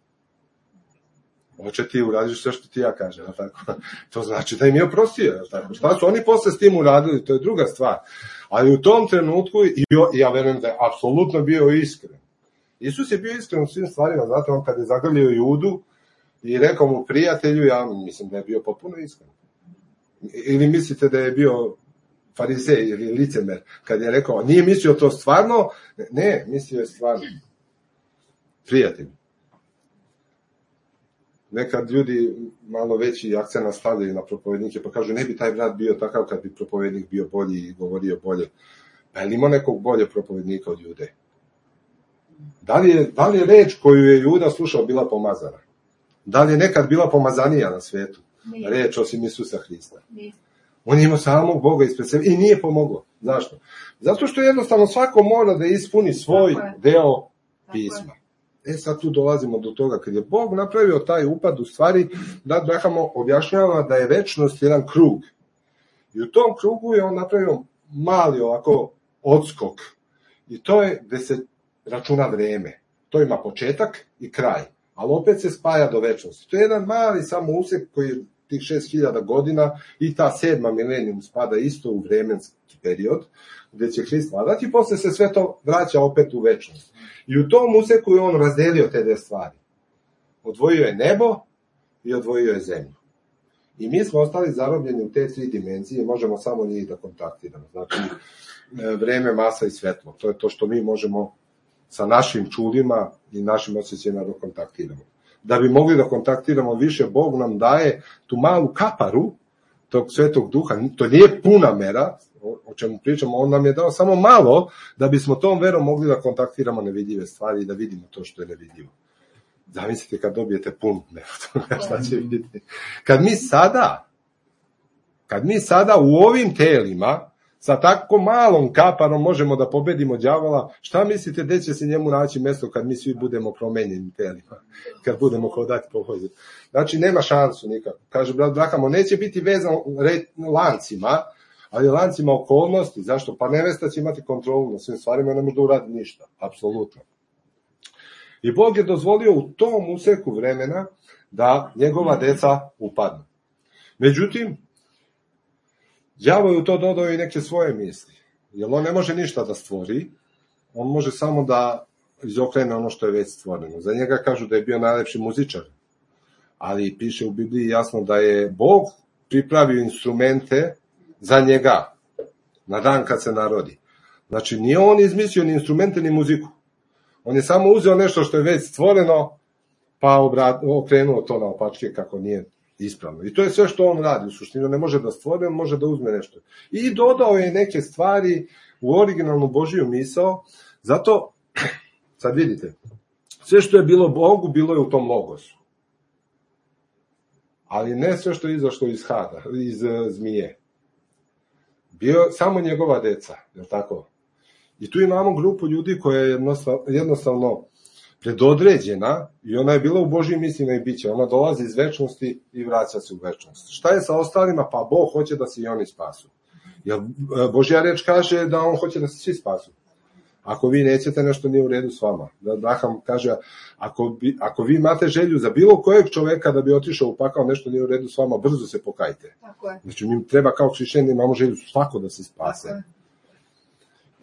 Oče ti uradiš sve što ti ja kažem, tako? To znači da im je oprostio, tako? Šta su oni posle s tim uradili, to je druga stvar. Ali u tom trenutku, ja verujem da je apsolutno bio iskren. Isus je bio iskren u svim stvarima, znate, on kad je zagrlio Judu i rekao mu prijatelju, ja mislim da je bio potpuno iskren. Ili mislite da je bio farizej ili licemer, kad je rekao, nije mislio to stvarno, ne, mislio je stvarno. Prijatelj. Nekad ljudi malo veći akcent stavljaju na propovednike, pa kažu, ne bi taj brat bio takav kad bi propovednik bio bolji i govorio bolje. Pa je li ima nekog bolje propovednika od Jude? Da li je reč koju je Juda slušao bila pomazana? Da li je nekad bila pomazanija na svetu? Reč osim Isusa Hrista. On je imao samog Boga ispred sebe i nije pomoglo. Zašto? Zato što jednostavno svako mora da ispuni svoj deo pisma. Sad tu dolazimo do toga, kad je Bog napravio taj upad, u stvari, da Brahamo objašnjava da je večnost jedan krug. I u tom krugu je on napravio mali ovako odskok. I to je gde se računa vreme. To ima početak i kraj. Ali opet se spaja do večnosti. To je jedan mali samo usek koji je tih 6000 godina i ta 7. milenijum spada isto u vremenski period, gde će Hrist vladati i posle se sve to vraća opet u večnost. I u tom useku je on razdelio te dve stvari. Odvojio je nebo i odvojio je zemlju. I mi smo ostali zarobljeni u te 3 dimenzije i možemo samo njih da kontaktiramo. Znači, vreme, masa i svetlo. To je to što mi možemo sa našim čulima i našim osjećajima da kontaktiramo. Da bi mogli da kontaktiramo više, Bog nam daje tu malu kaparu tog Svetog Duha. To nije puna mera, o čemu pričamo, on nam je dao samo malo da bismo tom verom mogli da kontaktiramo nevidljive stvari i da vidimo to što je nevidljivo. Zamislite kad dobijete pun meru, šta će vidjeti. Kad mi sada u ovim telima sa tako malom kaparom možemo da pobedimo đavola, šta mislite gde će se njemu naći mesto kad mi svi budemo promenjeni telima, kad budemo hodati po hodu? Znači, nema šansu nikako. Kaže brat Brahamo, neće biti vezan lancima, ali lancima okolnosti. Zašto? Pa nevesta će imati kontrolu na svim stvarima i ne može da uradi ništa. Apsolutno. I Bog je dozvolio u tom useku vremena da njegova deca upadnu. Međutim, đavo je u to dodao i neke svoje misli. Jer on ne može ništa da stvori, on može samo da izokrene ono što je već stvoreno. Za njega kažu da je bio najlepši muzičar, ali piše u Bibliji jasno da je Bog pripravio instrumente za njega na dan kad se narodi. Znači, nije on izmislio ni instrumente ni muziku. On je samo uzeo nešto što je već stvoreno, pa okrenuo to na opačke kako nije ispravno. I to je sve što on radi. U suštini ne može da stvori, on može da uzme nešto. I dodao je neke stvari u originalnu Božiju misao, zato Sad vidite, sve što je bilo Bogu, bilo je u tom logosu. Ali ne sve što je izašlo iz Hada, iz zmije. Bio samo njegova deca, je li tako? I tu imamo grupu ljudi koja je jednostavno predodređena i ona je bila u Božjim mislima i biće. Ona dolazi iz večnosti i vraća se u večnost. Šta je sa ostalima? Pa Bog hoće da se i oni spasu. Jer Božja reč kaže da on hoće da se svi spasu. Ako vi nećete, nešto nije u redu s vama. Abraham kaže, ako vi imate želju za bilo kojeg čoveka da bi otišao u pakao, nešto nije u redu s vama, brzo se pokajte. Znači, mi treba kao hrišćani, imamo želju svako da se spase.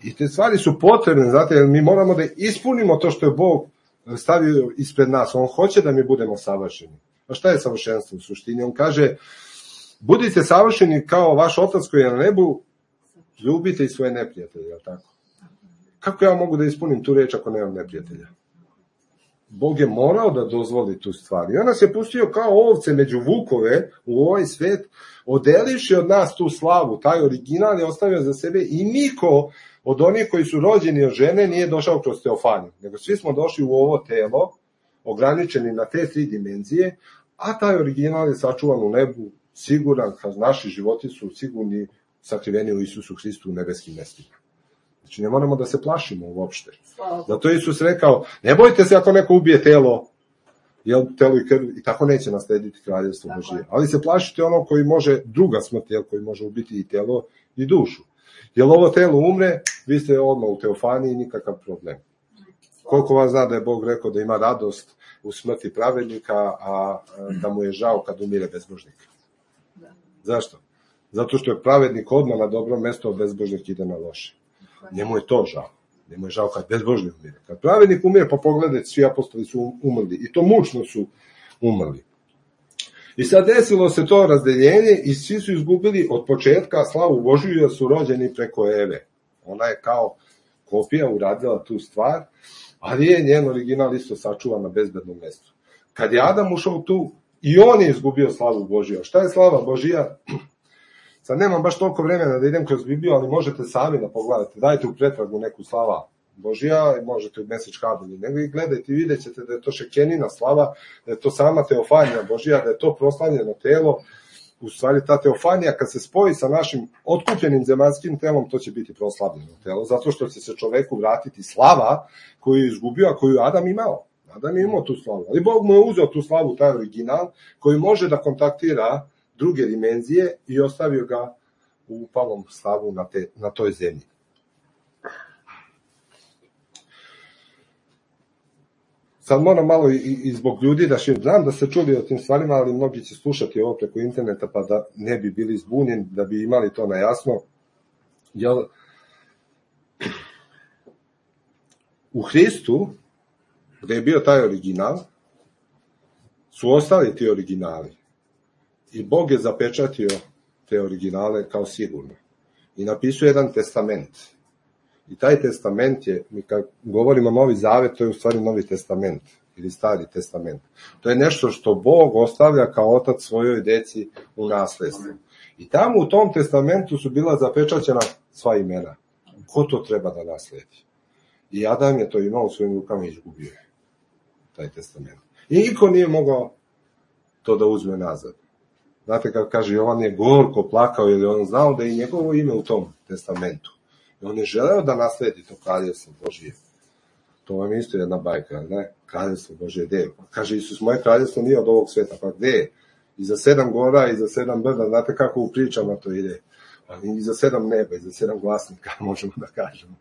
I te stvari su potrebne, znate, jer mi moramo da ispunimo to što je Bog stavio ispred nas. On hoće da mi budemo savršeni. A šta je savršenstvo u suštini? On kaže, budite savršeni kao vaš otac koji je na nebu, ljubite i svoje neprijatelje, je li tako? Kako ja mogu da ispunim tu reč ako nemam neprijatelja? Bog je morao da dozvoli tu stvar. I on nas je pustio kao ovce među vukove u ovaj svet, odelivši od nas tu slavu, taj original je ostavio za sebe i niko od onih koji su rođeni od žene nije došao kroz teofaniju, nego svi smo došli u ovo telo, ograničeni na te 3 dimenzije, a taj original je sačuvan u nebu, siguran, kad naši životi su sigurni, sakriveni u Isusu Hristu u nebeskim mestima. Znači, ne moramo da se plašimo uopšte. Zato je Isus rekao, ne bojte se ako neko ubije telo, jel, telo i krv, i tako neće naslediti kraljevstvo Božije. Ali se plašite ono koji može, druga smrt, jel, koji može ubiti i telo i dušu. Jel ovo telo umre, vi ste odmah u teofaniji, nikakav problem. Koliko vas zna da je Bog rekao da ima radost u smrti pravednika, a da mu je žao kad umire bezbožnik? Zašto? Zato što je pravednik odmah na dobro mesto, a bezbožnik ide na loše. Njemu je to žao. Njemu je žao kad bezbožnik umire. Kad pravednik umire, pa pogledajte, svi apostoli su umrli. I to mučno su umrli. I sad desilo se to razdeljenje i svi su izgubili od početka slavu Božiju jer su rođeni preko Eve. Ona je kao kopija uradila tu stvar, ali je njen original isto sačuvan na bezbednom mestu. Kad je Adam ušao tu, i on je izgubio slavu Božiju. Šta je slava Božija? Sad nemam baš toliko vremena da idem kroz Bibliju, ali možete sami da pogledate. Dajte u pretragu neku slava Božija, možete u Message kabelju, nego i gledajte i vidjet ćete da je to šekenina slava, da je to sama teofanija Božija, da je to proslavljeno telo. U stvari ta teofanija kad se spoji sa našim otkupljenim zemaljskim telom, to će biti proslavljeno telo, zato što će se čoveku vratiti slava koju je izgubio, a koju Adam imao. Adam je imao tu slavu, ali Bog mu je uzeo tu slavu, taj original, koji može da kontaktira druge dimenzije i ostavio ga u upalom stavu na toj zemlji. Sad moram malo i zbog ljudi da znam da ste čuli o tim stvarima, ali mnogi će slušati ovo preko interneta pa da ne bi bili zbunjeni, da bi imali to na jasno. Jer u Hristu, gde je bio taj original, su ostali ti originali. I Bog je zapečatio te originale kao sigurno. I napisao jedan testament. I taj testament je, mi kad govorimo Novi Zavet, to je u stvari Novi testament ili Stari testament. To je nešto što Bog ostavlja kao otac svojoj deci u nasledstvu. I tamo u tom testamentu su bila zapečaćena sva imena. Ko to treba da nasledi? I Adam je to imao u svojim rukama i izgubio je taj testament. I niko nije mogao to da uzme nazad. Znate kako kaže, Jovan je gorko plakao jer je on znao da je njegovo ime u tom testamentu. I on je želeo da nasledi to kraljevstvo Božije. To vam je isto jedna bajka, ne? Kraljevstvo Božije, gde je? Kaže Isus, moje kraljevstvo nije od ovog sveta, pa gde je? Iza 7 gora, iza 7 brda, znate kako u pričama to ide? Iza 7 neba, iza 7 glasnika, možemo da kažemo.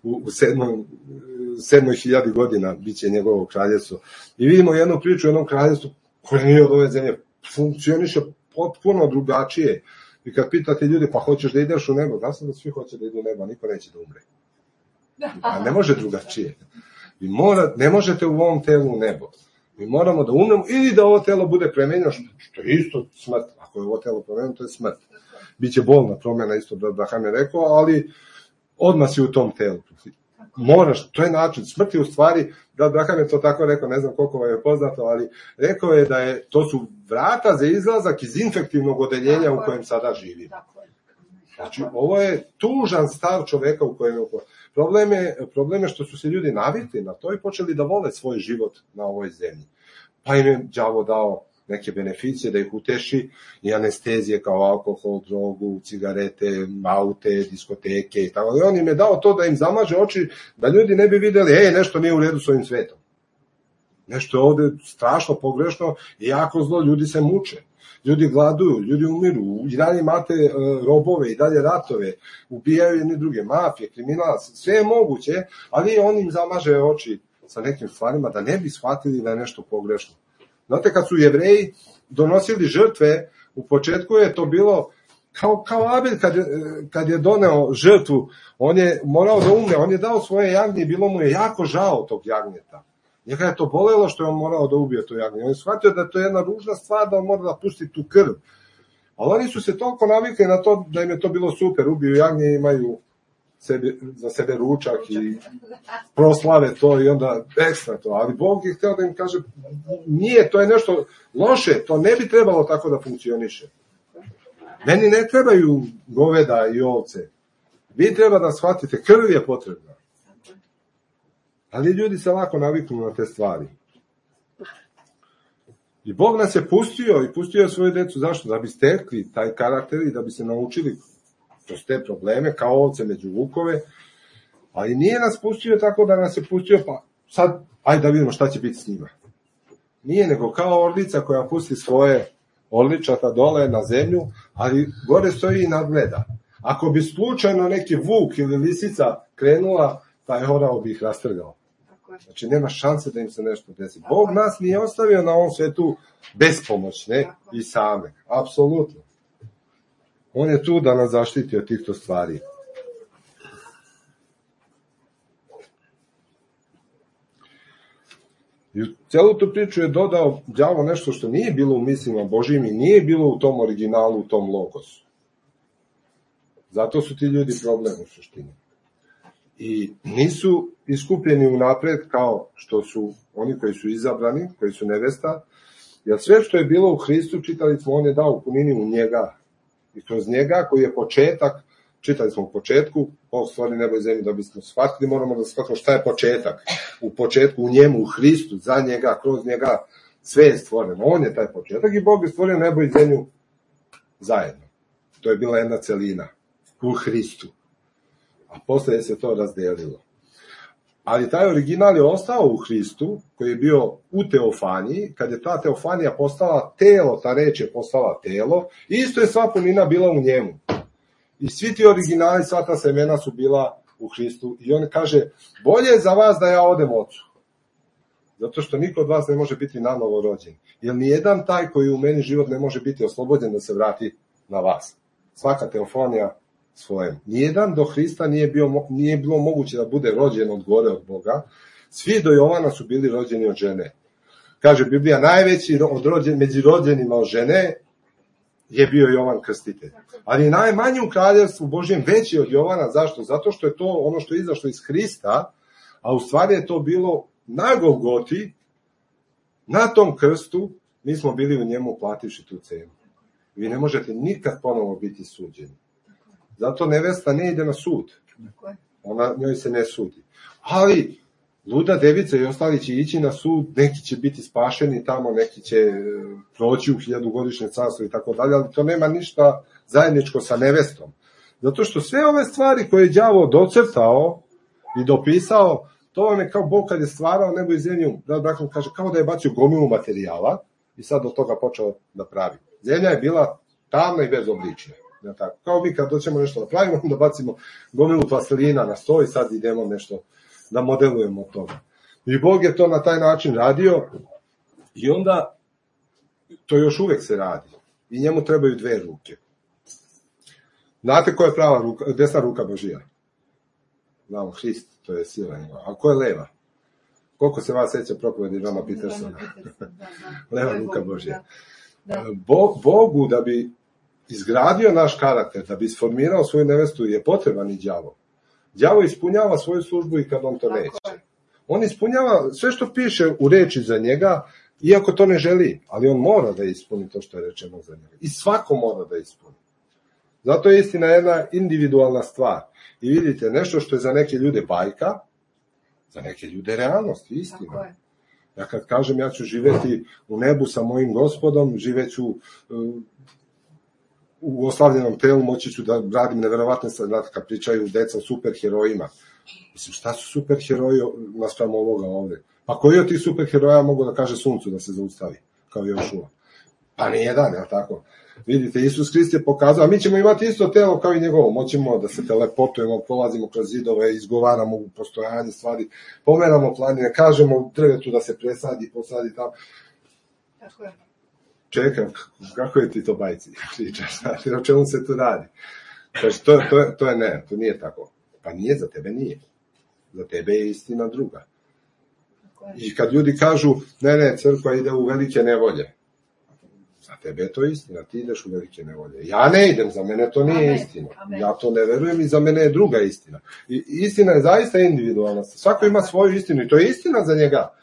U 7.000 godina bit će njegovo kraljevstvo. I vidimo jednu priču o jednom kraljevstvu koje nije od ove zemlje, funkcioniše potpuno drugačije. I kad pitate ljudi, pa hoćeš da ideš u nebo, da sam da svi hoće da idu u nebo, niko neće da umre. A ne može drugačije. Ne možete u ovom telu u nebo. Mi moramo da umremo ili da ovo telo bude promenjeno, što je isto smrt. Ako je ovo telo promenjeno, to je smrt. Biće bolna promjena, isto da Abraham je rekao, ali odmah si u tom telu. Moraš, to je način. Smrt je u stvari, da Abraham je to tako rekao, ne znam koliko vam je poznato, ali rekao je da to su vrata za izlazak iz infektivnog odeljenja u kojem sada živi. Znači, ovo je tužan stav čoveka u kojem je. Problem je što su se ljudi navikli na to i počeli da vole svoj život na ovoj zemlji. Pa im je đavo dao neke beneficije da ih uteši i anestezije kao alkohol, drogu, cigarete, aute, diskoteke i tako. I on im je dao to da im zamaže oči, da ljudi ne bi videli, nešto nije u redu s ovim svetom. Nešto je ovde strašno pogrešno i jako zlo, ljudi se muče. Ljudi gladuju, ljudi umiru, i dalje imate robove, i dalje ratove, ubijaju jedni druge, mafije, kriminalac, sve je moguće, ali on im zamaže oči sa nekim stvarima da ne bi shvatili da je nešto pogrešno. Znate, kad su Jevreji donosili žrtve, u početku je to bilo kao Abel kad je doneo žrtvu, on je morao da umre, on je dao svoje jagnje i bilo mu je jako žao tog jagnjeta. Njega je to bolelo što je on morao da ubije to jagnje. On je shvatio da je to jedna ružna stvar, da on mora da pusti tu krv. Ali oni su se toliko navikli na to da im je to bilo super. Ubiju jagnje i imaju za sebe ručak i proslave to i onda ekstra to. Ali Bog je hteo da im kaže, nije, to je nešto loše, to ne bi trebalo tako da funkcioniše. Meni ne trebaju goveda i ovce. Vi treba da shvatite, krv je potrebna. Ali ljudi se lako naviknu na te stvari. I Bog nas je pustio i pustio je svoju decu. Zašto? Da bi stekli taj karakter i da bi se naučili kroz te probleme, kao ovce među vukove. Ali nije nas pustio tako da nas je pustio, pa sad, ajde da vidimo šta će biti s njima. Nije, nego kao orlica koja pusti svoje orličata dole na zemlju, ali gore stoji i nadgleda. Ako bi slučajno neki vuk ili lisica krenula, taj orao bi ih rastrgao. Znači, nema šanse da im se nešto desi. Bog nas nije ostavio na ovom svetu bespomoćne i same. Apsolutno. On je tu da nas zaštiti od tih stvari. I u celu tu priču je dodao đavo nešto što nije bilo u mislima Božijim i nije bilo u tom originalu, u tom logosu. Zato su ti ljudi problem u suštini. I nisu iskupljeni unapred kao što su oni koji su izabrani, koji su nevesta, jer sve što je bilo u Hristu, čitali smo, on je dao u punini u njega. I kroz njega, koji je početak, čitali smo u početku, Bog stvori nebo i zemlju, da bismo shvatili, moramo da shvatimo šta je početak. U početku, u njemu, u Hristu, za njega, kroz njega, sve je stvoreno. On je taj početak i Bog je stvorio nebo i zemlju zajedno. To je bila jedna celina u Hristu. A posle se to razdelilo. Ali taj original je ostao u Hristu, koji je bio u teofaniji. Kad je ta teofanija postala telo, ta reč je postala telo, isto je sva punina bila u njemu. I svi ti originali, sva ta semena su bila u Hristu. I on kaže, bolje je za vas da ja odem ocu. Zato što niko od vas ne može biti nanovo rođen. Jer nijedan taj koji u meni život ne može biti oslobođen da se vrati na vas. Svaka teofanija svojem. Nijedan do Hrista nije bilo moguće da bude rođen od gore od Boga. Svi do Jovana su bili rođeni od žene. Kaže Biblija, najveći među rođenima od žene je bio Jovan Krstitelj. Ali najmanji u kraljevstvu Božjem veći od Jovana. Zašto? Zato što je to ono što je izašlo iz Hrista, a u stvari je to bilo na Golgoti, na tom krstu, mi smo bili u njemu plativši tu cenu. Vi ne možete nikad ponovo biti suđeni. Zato nevesta ne ide na sud. Njoj se ne sudi. Ali luda devica i ostali će ići na sud, neki će biti spašeni tamo, neki će proći u 1000-godišnje carstvo i tako dalje, ali to nema ništa zajedničko sa nevestom. Zato što sve ove stvari koje je đavo docrtao i dopisao, to vam je kao Bog kad je stvarao nebo i zemlju, Brakom kaže, kao da je bacio gomilu materijala i sad od toga počeo da pravi. Zemlja je bila tamna i bezoblična. Kao mi kad doćemo nešto da pravimo, onda bacimo gomilu plastelina na sto i sad idemo nešto da modelujemo od toga. I Bog je to na taj način radio i onda to još uvek se radi. I njemu trebaju 2 ruke. Znate ko je prava ruka, desna ruka Božija? Znamo, Hrist, to je sila njegova. A ko je leva? Koliko se vas seća propovedi Johna Petersona? Leva ruka Božija. Bogu da bi izgradio naš karakter, da bi isformirao svoju nevestu, je potreban i đavo. Đavo ispunjava svoju službu i kad on to neće. On ispunjava sve što piše u reči za njega, iako to ne želi, ali on mora da ispuni to što je rečeno za njega. I svako mora da ispuni. Zato je istina jedna individualna stvar. I vidite, nešto što je za neke ljude bajka, za neke ljude realnost, istina. Ja kad kažem ja ću živjeti u nebu sa mojim Gospodom, živeću u oslavljenom telu, moći ću da radim neverovatne stvari, kad pričaju deca o superherojima. Mislim, šta su superheroji naspram ovoga ovde? Pa koji od tih superheroja mogu da kaže suncu da se zaustavi, kao Jošua? Pa nijedan, jel tako? Vidite, Isus Hrist je pokazao, a mi ćemo imati isto telo kao i njegovo, moćemo da se telepotujemo, prolazimo kroz zidove, izgovaramo u postojanje stvari, pomeramo planine, kažemo drvetu da se presadi, posadi tamo. Tako je. Čekaj, kako je ti to bajci pričaš, o čemu se tu radi? Znači, to je ne, to nije tako. Pa nije, za tebe nije. Za tebe je istina druga. I kad ljudi kažu, ne, crkva ide u velike nevolje, za tebe je to istina, ti ideš u velike nevolje. Ja ne idem, za mene to nije istina. Ja to ne verujem i za mene je druga istina. I istina je zaista individualna. Svako ima svoju istinu i to je istina za njega.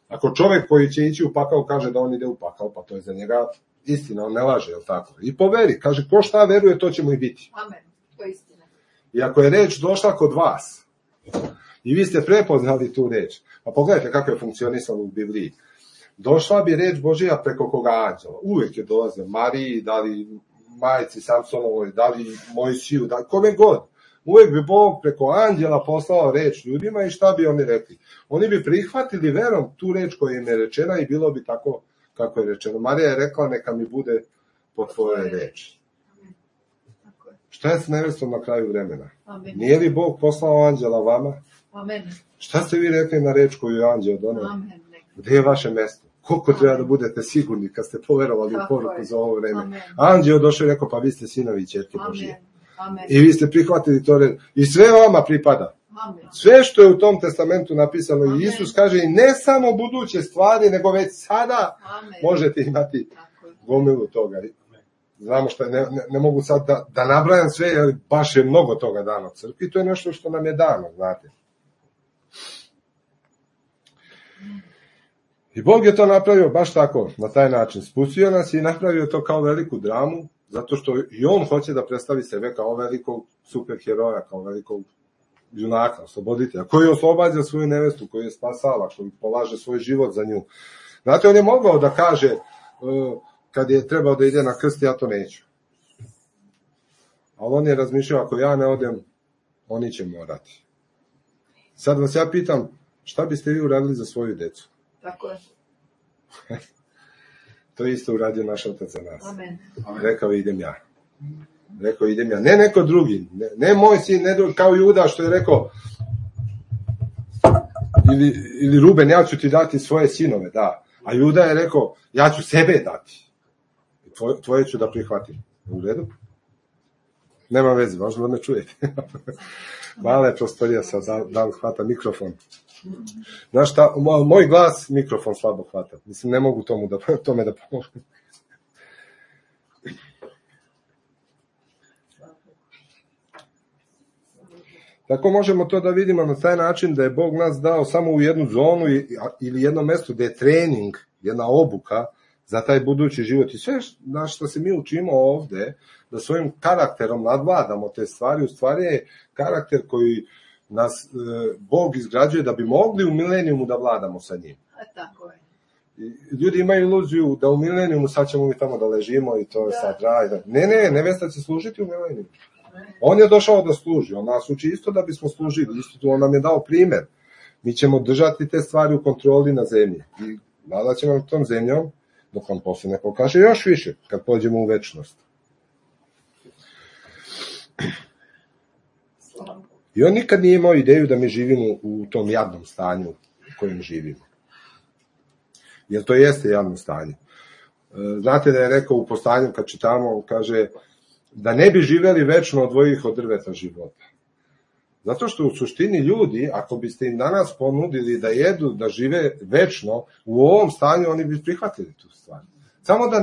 Ako čovjek koji će ići u pakao kaže da on ide u pakao, pa to je za njega istina, on ne laže, je li tako? I poveri, kaže, ko šta veruje, to će mu i biti. Amen, to je istina. I ako je reč došla kod vas, i vi ste prepoznali tu reč, pa pogledajte kako je funkcionisalo u Bibliji. Došla bi reč Božija preko koga anđela. Uvijek je dolazio Mariji, da li majici Samsonovoj, da li Mojsiju, da li kome god. Uvijek bi Bog preko anđela poslao reč ljudima i šta bi oni rekli? Oni bi prihvatili verom tu reč koja im je rečena i bilo bi tako kako je rečeno. Marija je rekla, neka mi bude po tvojoj reči. Šta je s nevestom na kraju vremena? Amen. Nije li Bog poslao anđela vama? Amen. Šta ste vi rekli na reč koju je anđeo doneo? Gde je vaše mesto? Koliko treba da budete sigurni kad ste poverovali u poruku za ovo vreme? Amen. Anđeo došao i rekao, pa vi ste sinovi i ćerke Božije. Amen. I vi ste prihvatili to reč. I sve vama pripada. Amen. Sve što je u tom testamentu napisano. Amen. I Isus kaže, i ne samo buduće stvari, nego već sada Amen. možete imati gomilu toga. Znamo što je, ne mogu sad da nabrajam sve, jer baš je mnogo toga dano crkvi. To je nešto što nam je dano, znate. I Bog je to napravio baš tako, na taj način. Spustio nas i napravio to kao veliku dramu, zato što i on hoće da predstavi sebe kao velikog superheroja, kao velikog junaka, osloboditelja, koji oslobađa svoju nevestu, koji je spasala, koji polaže svoj život za nju. Znate, on je mogao da kaže, kad je trebao da ide na krst, ja to neću. Ali on je razmišljao, ako ja ne odem, oni će morati. Sad vas ja pitam, šta biste vi uradili za svoju decu? Tako je. To je isto uradio naš Otac za nas. Amen. Rekao, idem ja. Rekao, idem ja. Ne neko drugi. Ne moj sin, ne drugi, kao Juda što je rekao, ili Ruben, ja ću ti dati svoje sinove, da. A Juda je rekao, ja ću sebe dati. Tvoje ću da prihvatim. U redu? Nema veze, važno da me čujete. Mala je prostorija sad, da li hvata mikrofon. Znaš šta, moj glas mikrofon slabo hvata. Mislim, ne mogu tome da pomogu. Tako možemo to da vidimo na taj način da je Bog nas dao samo u jednu zonu ili jedno mesto gde je trening, jedna obuka za taj budući život. I sve na što se mi učimo ovde, da svojim karakterom nadvladamo te stvari, u stvari je karakter koji nas Bog izgrađuje da bi mogli u milenijumu da vladamo sa njim. Tako je. Ljudi imaju iluziju da u milenijumu sad ćemo mi tamo da ležimo i to je sad raj. Ne, nevesta će služiti u milenijumu. On je došao da služi, on nas uči isto da bismo služili, isto on nam je dao primer. Mi ćemo držati te stvari u kontroli na zemlji i vladat ćemo tom zemljom dok on posle ne pokaže još više kad pođemo u večnost. I on nikad nije imao ideju da mi živimo u tom jadnom stanju u kojem živimo. Jer to jeste jadno stanje. Znate da je rekao u Postanju, kad čitamo, kaže da ne bi živeli večno odvojih od drveta života. Zato što u suštini ljudi, ako biste im danas ponudili da jedu, da žive večno, u ovom stanju oni bi prihvatili tu stvar. Samo da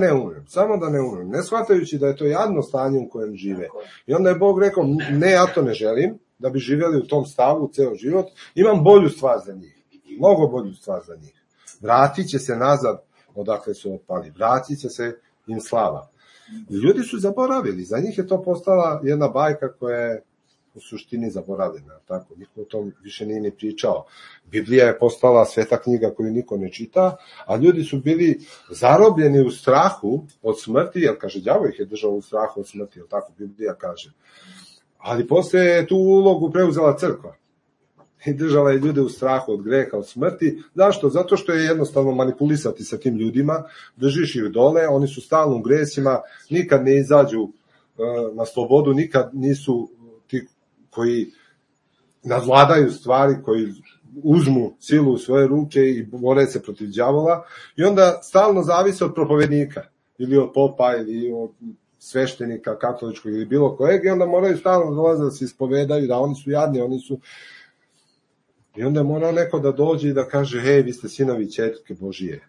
ne umrem, ne shvatajući da je to jadno stanje u kojem žive. I onda je Bog rekao, ne, ja to ne želim, da bi živjeli u tom stavu ceo život, imam bolju stvar za njih, mnogo bolju stvar za njih. Vratit će se nazad odakle su otpali, vratit će se im slava. I ljudi su zaboravili, za njih je to postala jedna bajka koja je u suštini zaboravljena, tako, niko o tom više nije ni pričao. Biblija je postala sveta knjiga koju niko ne čita, a ljudi su bili zarobljeni u strahu od smrti, jer kaže, đavo ih je držao u strahu od smrti, jer tako Biblija kaže. Ali poslije je tu ulogu preuzela crkva i držala je ljude u strahu od greha, od smrti. Zašto? Zato što je jednostavno manipulisati sa tim ljudima, držiš ih dole, oni su stalno u gresima, nikad ne izađu na slobodu, nikad nisu ti koji nadvladaju stvari, koji uzmu silu u svoje ruke i bore se protiv đavola, i onda stalno zavise od propovednika, ili od popa, ili od sveštenika katoličkog, ili bilo kojeg, i onda moraju stalno dolaziti da se ispovedaju, da oni su jadni, oni su... I onda mora neko da dođe i da kaže, hej, vi ste sinovi i ćerke Božije.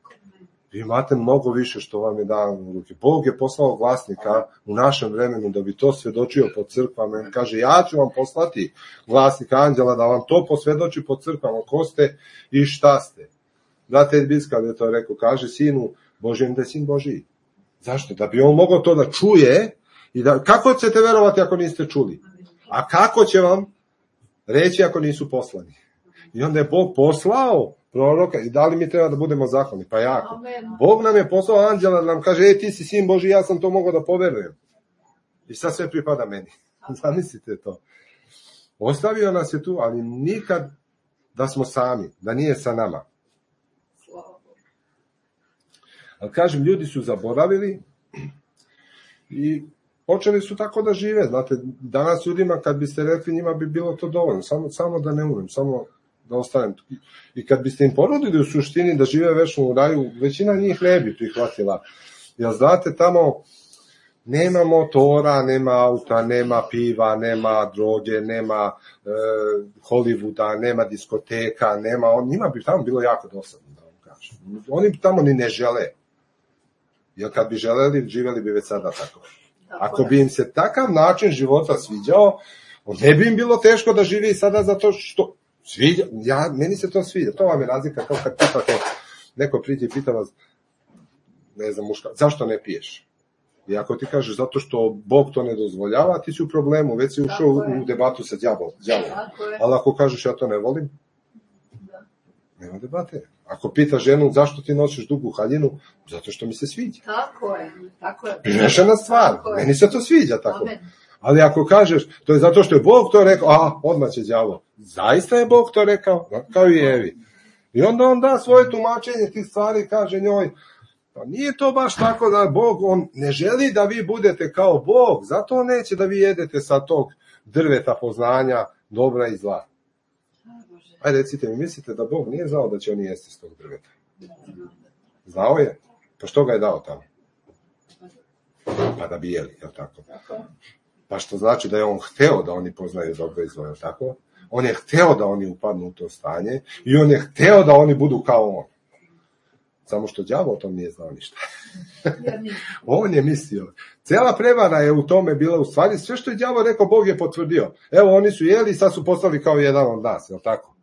Vi imate mnogo više što vam je dano u ruke. Bog je poslao glasnika u našem vremenu da bi to svedočio po crkvama. On kaže, ja ću vam poslati glasnika anđela da vam to posvedoči po crkvama, ko ste i šta ste. Znate, Biska je to rekao, kaže sinu Božijem da je sin Božiji. Zašto? Da bi on mogao to da čuje i da... Kako ćete verovati ako niste čuli? A kako će vam reći ako nisu poslani? I onda je Bog poslao proroka, i da li mi treba da budemo zahvalni? Pa jako. Bog nam je poslao anđela da nam kaže, ti si sin Boži, ja sam to mogao da poverujem. I sad sve pripada meni. Zamislite to. Ostavio nas je tu, ali nikad da smo sami, da nije sa nama. Ali kažem, ljudi su zaboravili i počeli su tako da žive. Znate, danas ljudima, kad biste rekli, njima bi bilo to dovoljno. Samo da ne umrem, samo da ostanem. I kad biste im ponudili u suštini da žive večno u raju, većina njih ne bi prihvatila. Jer znate, tamo nema motora, nema auta, nema piva, nema droge, nema Hollywooda, nema diskoteka, njima bi tamo bilo jako dosadno, da vam kažem. Oni tamo ni ne žele. Jer kad bi želeli, živeli bi već sada tako. Ako bi im se takav način života sviđao, ne bi im bilo teško da živi sada zato što sviđa. Meni se to sviđa. To vam je razlika kao kad pitate, neko priđe i pita vas, ne znam, muška, zašto ne piješ? I ako ti kažeš zato što Bog to ne dozvoljava, ti si u problemu, već si ušao u debatu sa đavolom. Ali ako kažeš ja to ne volim, nema debate. Ako pita ženu zašto ti nosiš dugu haljinu, zato što mi se sviđa. Tako je. Rešena stvar, meni se to sviđa tako. Ali ako kažeš, to je zato što je Bog to rekao, odmah će đavo. Zaista je Bog to rekao, kao i Evi. I onda on da svoje tumačenje tih stvari, kaže njoj, pa nije to baš tako da Bog, on ne želi da vi budete kao Bog, zato on neće da vi jedete sa tog drveta poznanja dobra i zla. Ajde, recite mi, mislite da Bog nije znao da će oni jesti s tog drveta? Znao je? Pa što ga je dao tamo? Pa da bi jeli, je li tako? Pa što znači da je on hteo da oni poznaju dobro i zlo, je li tako? On je hteo da oni upadnu u to stanje i on je hteo da oni budu kao on. Samo što đavo o tom nije znao ništa. On je mislio. Cela prevara je u tome bila, u stvari, sve što je đavo rekao, Bog je potvrdio. Evo, oni su jeli i sad su postali kao jedan od nas, je li tako?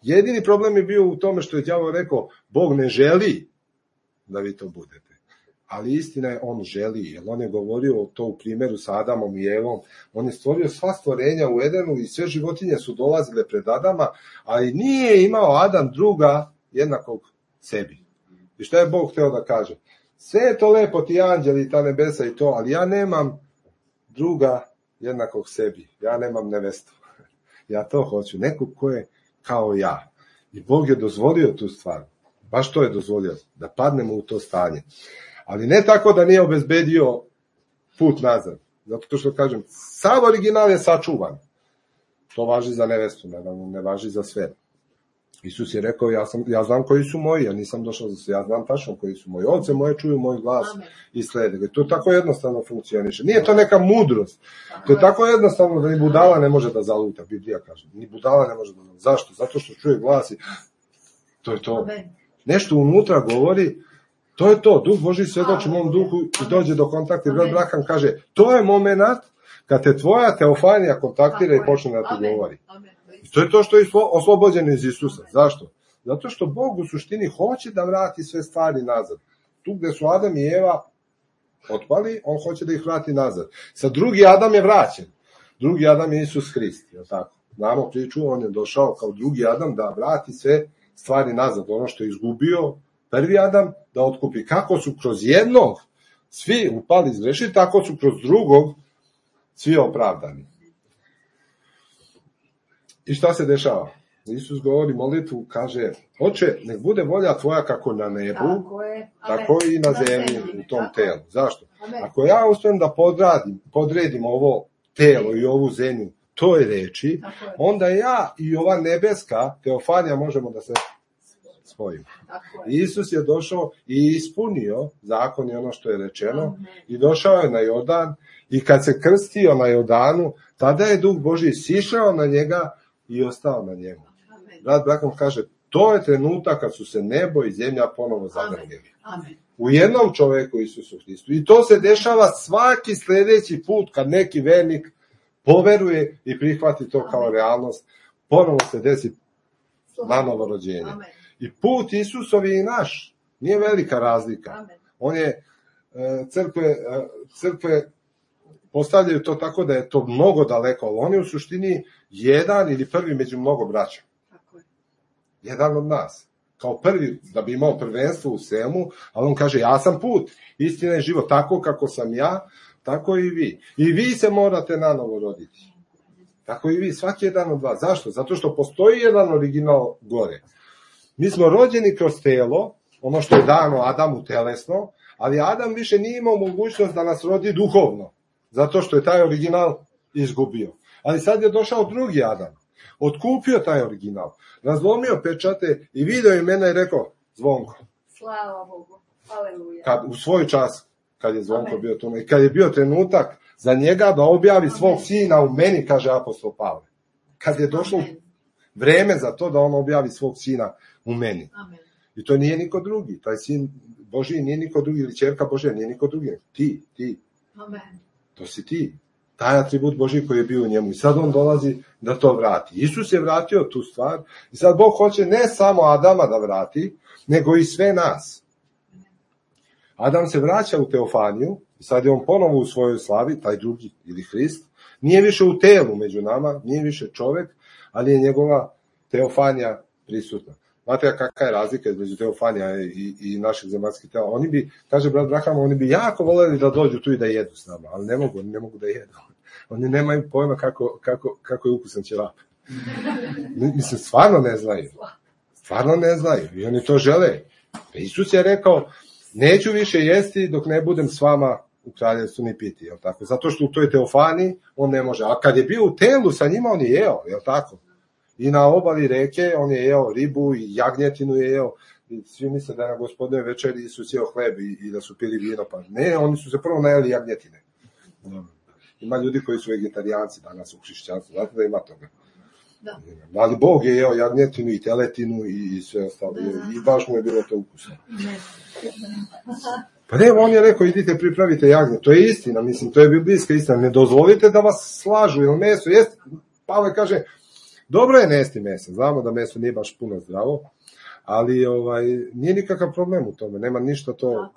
Jedini problem je bio u tome što je đavo rekao, Bog ne želi da vi to budete. Ali istina je, on želi, jer on je govorio to u primjeru sa Adamom i Evom. On je stvorio sva stvorenja u Edenu i sve životinje su dolazile pred Adama, ali nije imao Adam druga jednakog sebi. I šta je Bog hteo da kaže? Sve je to lepo, ti anđeli i ta nebesa i to, ali ja nemam druga jednakog sebi. Ja nemam nevestu. Ja to hoću. Nekog ko je kao ja. I Bog je dozvolio tu stvar. Baš to je dozvolio. Da padnemo u to stanje. Ali ne tako da nije obezbedio put nazad. Zato što kažem, sav original je sačuvan. To važi za nevestu, ne važi za sve. Isus je rekao, ja znam koji su moji, ja nisam došao za sve, ja znam tačno koji su moji. Ovce moje čuju moj glas i slede ga. To tako jednostavno funkcioniše. Nije to neka mudrost. To je tako jednostavno da ni budala ne može da zaluta, Biblija kaže. Ni budala ne može da zaluta. Zašto? Zato što čuje glas i to je to. Nešto unutra govori, to je to. Duh Božji svedoči mom duhu i dođe do kontakta. Brat Braham kaže, to je moment kad te tvoja teofanija kontaktira i počne da ti govori. I to je to što je oslobođeno iz Isusa. Zašto? Zato što Bog u suštini hoće da vrati sve stvari nazad. Tu gde su Adam i Eva otpali, on hoće da ih vrati nazad. Sad drugi Adam je vraćen. Drugi Adam je Isus Hrist, je tako? Znamo priču, on je došao kao drugi Adam da vrati sve stvari nazad, ono što je izgubio prvi Adam, da otkupi. Kako su kroz jednog svi upali izgrešiti, tako su kroz drugog svi opravdani. I šta se dešava? Isus govori molitvu, kaže, Oče, nek bude volja tvoja kako na nebu, tako i na zemlji u tom telu. Zašto? Ako ja uspijem da podredim ovo telo i ovu zemlju toj reči, onda ja i ova nebeska teofanija možemo da se spojimo. Isus je došao i ispunio zakon i ono što je rečeno i došao je na Jordan i kad se krstio na Jordanu, tada je Duh Božji sišao na njega i ostao na njemu. Brat Branham kaže, to je trenutak kad su se nebo i zemlja ponovo zadrljili. U jednom čoveku Isusu Hristu. I to se dešava svaki sljedeći put kad neki vernik poveruje i prihvati to kao realnost. Ponovo se desi nanovo rođenje. I put Isusovi i naš. Nije velika razlika. On je, crkve postavljaju to tako da je to mnogo daleko, ali on je u suštini jedan ili prvi među mnogo braća. Jedan od nas. Kao prvi, da bi imao prvenstvo u svemu, ali on kaže, ja sam put, istina je život, tako kako sam ja, tako i vi. I vi se morate nanovo roditi. Tako i vi, svaki jedan od vas. Zašto? Zato što postoji jedan original gore. Mi smo rođeni kroz telo, ono što je dano Adamu telesno, ali Adam više nije imao mogućnost da nas rodi duhovno, zato što je taj original izgubio. Ali sad je došao drugi Adam, otkupio taj original, razlomio pečate i video je mene i rekao, Zvonko. Slava Bogu, aleluja. U svoj čas, kad je Zvonko bio tu, i kad je bio trenutak za njega da objavi svog sina u meni, kaže apostol Pavle. Kad je došlo vreme za to da on objavi svog sina u meni. Amen. I to nije niko drugi. Taj sin Božiji nije niko drugi, ili ćerka Božja nije niko drugi. Ti. Amen. To si ti. Taj atribut Božji koji je bio u njemu. I sad on dolazi da to vrati. Isus je vratio tu stvar. I sad Bog hoće ne samo Adama da vrati, nego i sve nas. Adam se vraća u teofaniju. I sad je on ponovo u svojoj slavi, taj drugi ili Hrist. Nije više u telu među nama, nije više čovjek, ali je njegova teofanija prisutna. Znate kakva je razlika između teofanija i naših zemaljskih tela? Oni bi, kaže brat Braham, oni bi jako voljeli da dođu tu i da jedu s nama, ali ne mogu da jedu. Oni nemaju pojma kako je ukusan ćevap. Mislim, stvarno ne znaju. I oni to žele. Isus je rekao, neću više jesti dok ne budem s vama u kraljevstvu ni piti, jel tako? Zato što u toj teofaniji on ne može. A kad je bio u telu sa njima, on je jeo, jel tako? I na obali reke on je jeo ribu i jagnjetinu je jeo. I svi misle da je na Gospodnoj večeri Isus jeo hleb i da su pili vino. Pa ne, oni su se prvo najeli jagnjetine. Ima ljudi koji su vegetarijanci danas u hrišćanstvu. Znate da ima toga. Da. Ali Bog je jeo jagnjetinu i teletinu i sve ostalo. I baš mu je bilo to ukusno. Pa ne, on je rekao, idite pripravite jagnje. To je istina, mislim, to je biblijska istina. Ne dozvolite da vas slažu, jer meso jest. Pavle kaže, dobro je nesti meso, znamo da meso nije baš puno zdravo, ali nije nikakav problem u tome, nema ništa to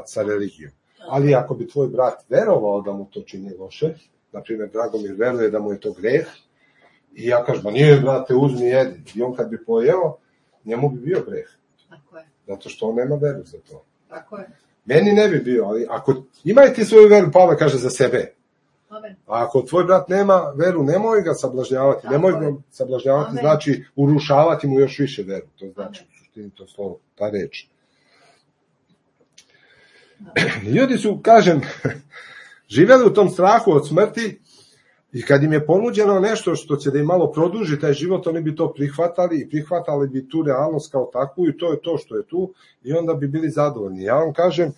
sa religijom. Ali ako bi tvoj brat verovao da mu to čini loše, na primjer Dragomir veruje da mu je to greh, i ja kažem, ba nije brate, uzmi jedi, i on kad bi pojeo, njemu bi bio greh. Zato što on nema veru za to. Tako je. Meni ne bi bio, ali ako imaj ti svoju veru, Pavle kaže za sebe. Amen. A ako tvoj brat nema veru, nemoj ga sablažnjavati. Nemoj ga sablažnjavati, znači urušavati mu još više veru. To znači u suštini to slovo, ta reč. Ljudi su, kažem, živjeli u tom strahu od smrti i kad im je ponuđeno nešto što će da im malo produži taj život, oni bi to prihvatali i prihvatali bi tu realnost kao takvu i to je to što je tu i onda bi bili zadovoljni. Ja vam kažem,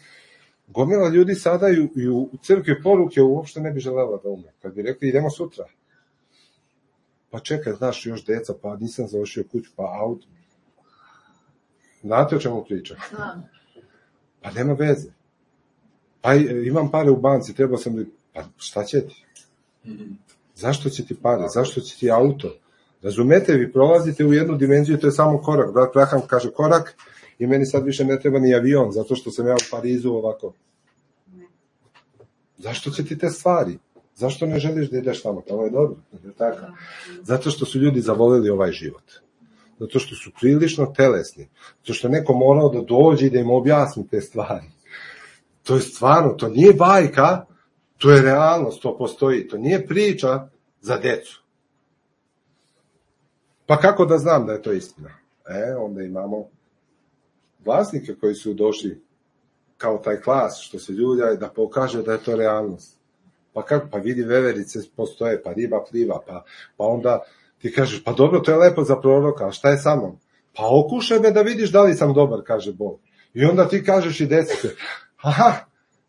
gomila ljudi sada i u crkvi poruke uopšte ne bi želela da umre. Kad bi rekli idemo sutra. Pa čekaj, znaš još deca, pa nisam završio kuću, pa auto. Znate o čemu pričam? Pa nema veze. Pa imam pare u banci, trebao sam da... Pa šta će ti? Zašto će ti pare? Zašto će ti auto? Razumete, vi prolazite u jednu dimenziju, to je samo korak. Brat Braham kaže korak i meni sad više ne treba ni avion, zato što sam ja u Parizu ovako. Zašto će ti te stvari? Zašto ne želiš da ideš tamo? Tamo je dobro. Tako. Zato što su ljudi zavoleli ovaj život. Zato što su prilično telesni. Zato što je neko morao da dođe i da im objasni te stvari. To je stvarno, to nije bajka, to je realnost, to postoji. To nije priča za decu. Pa kako da znam da je to istina? Onda imamo vlasnike koji su došli kao taj klas, što se ljulja, da pokaže da je to realnost. Pa kako? Pa vidi, veverice postoje, pa riba pliva, pa onda ti kažeš, pa dobro, to je lepo za proroka, a šta je sa mnom? Pa okušaj me da vidiš da li sam dobar, kaže Bog. I onda ti kažeš i desi se,